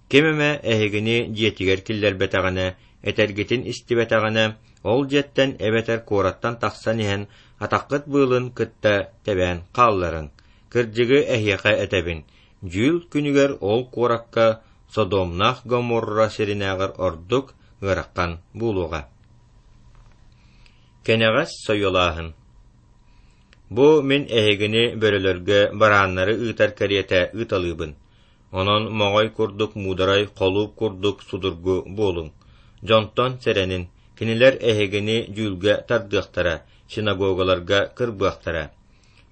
Ким эмэ эһигини дьиэтигэр киллэрбэтэҕинэ, этэргитин истибэтэҕинэ, ол дьиэттэн эбэтэр куораттан тахсан иһэн, атаххыт быылын кытта тэбээн хаалларыҥ. Кырдьыгы эһиэхэ этэбин, дьүүл күнүгэр ол куоракка Содомнаах Гоморра сиринээҕэр ордук ыарахан буолуоҕа. Кэнэҕэс сойуолааһын. Бу мин эһигини бөрөлөргө барааннары ыытар кэриэтэ ыыталыыбын. Онон моҕой курдук муударай, холууп курдук судургу буолуҥ. Дьонтон сэрэнин, кинилэр эһигини дьүүлгэ тардыахтара, синагогаларга кырбыахтара.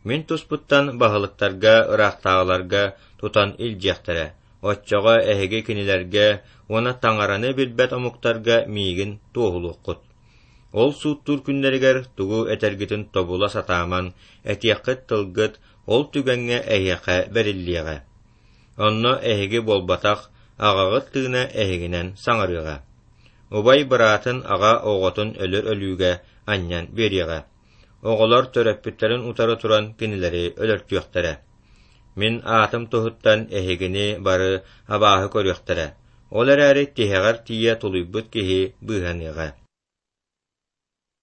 Мин туспуттан баһылыктарга, ыраахтааҕыларга тутан илдьиэхтэрэ. Оччоҕо эһиги кинилэргэ уонна Таҥараны билбэт омуктарга миигин туоһулуоххут. Ол сууттуур күннэригэр тугу этэргитин тобула сатаамаҥ, этиэххит тылгыт ол түгэҥҥэ эһиэхэ бэриллиэҕэ. Онно эһиги буолбатах, аҕаҕыт тыына эһигинэн саҥарыаҕа. Убай быраатын аҕа оҕотун өлөр өлүүгэ анньан биэриэҕэ. Оҕолор төрөппүттэрин утары туран кинилэри өлөртүөхтэрэ. Мин аатым туһуттан эһигини бары абааһы көрүөхтэрэ, ол эрээри тиһэҕэр тиийэ тулуйбут киһи быыһаныаҕа.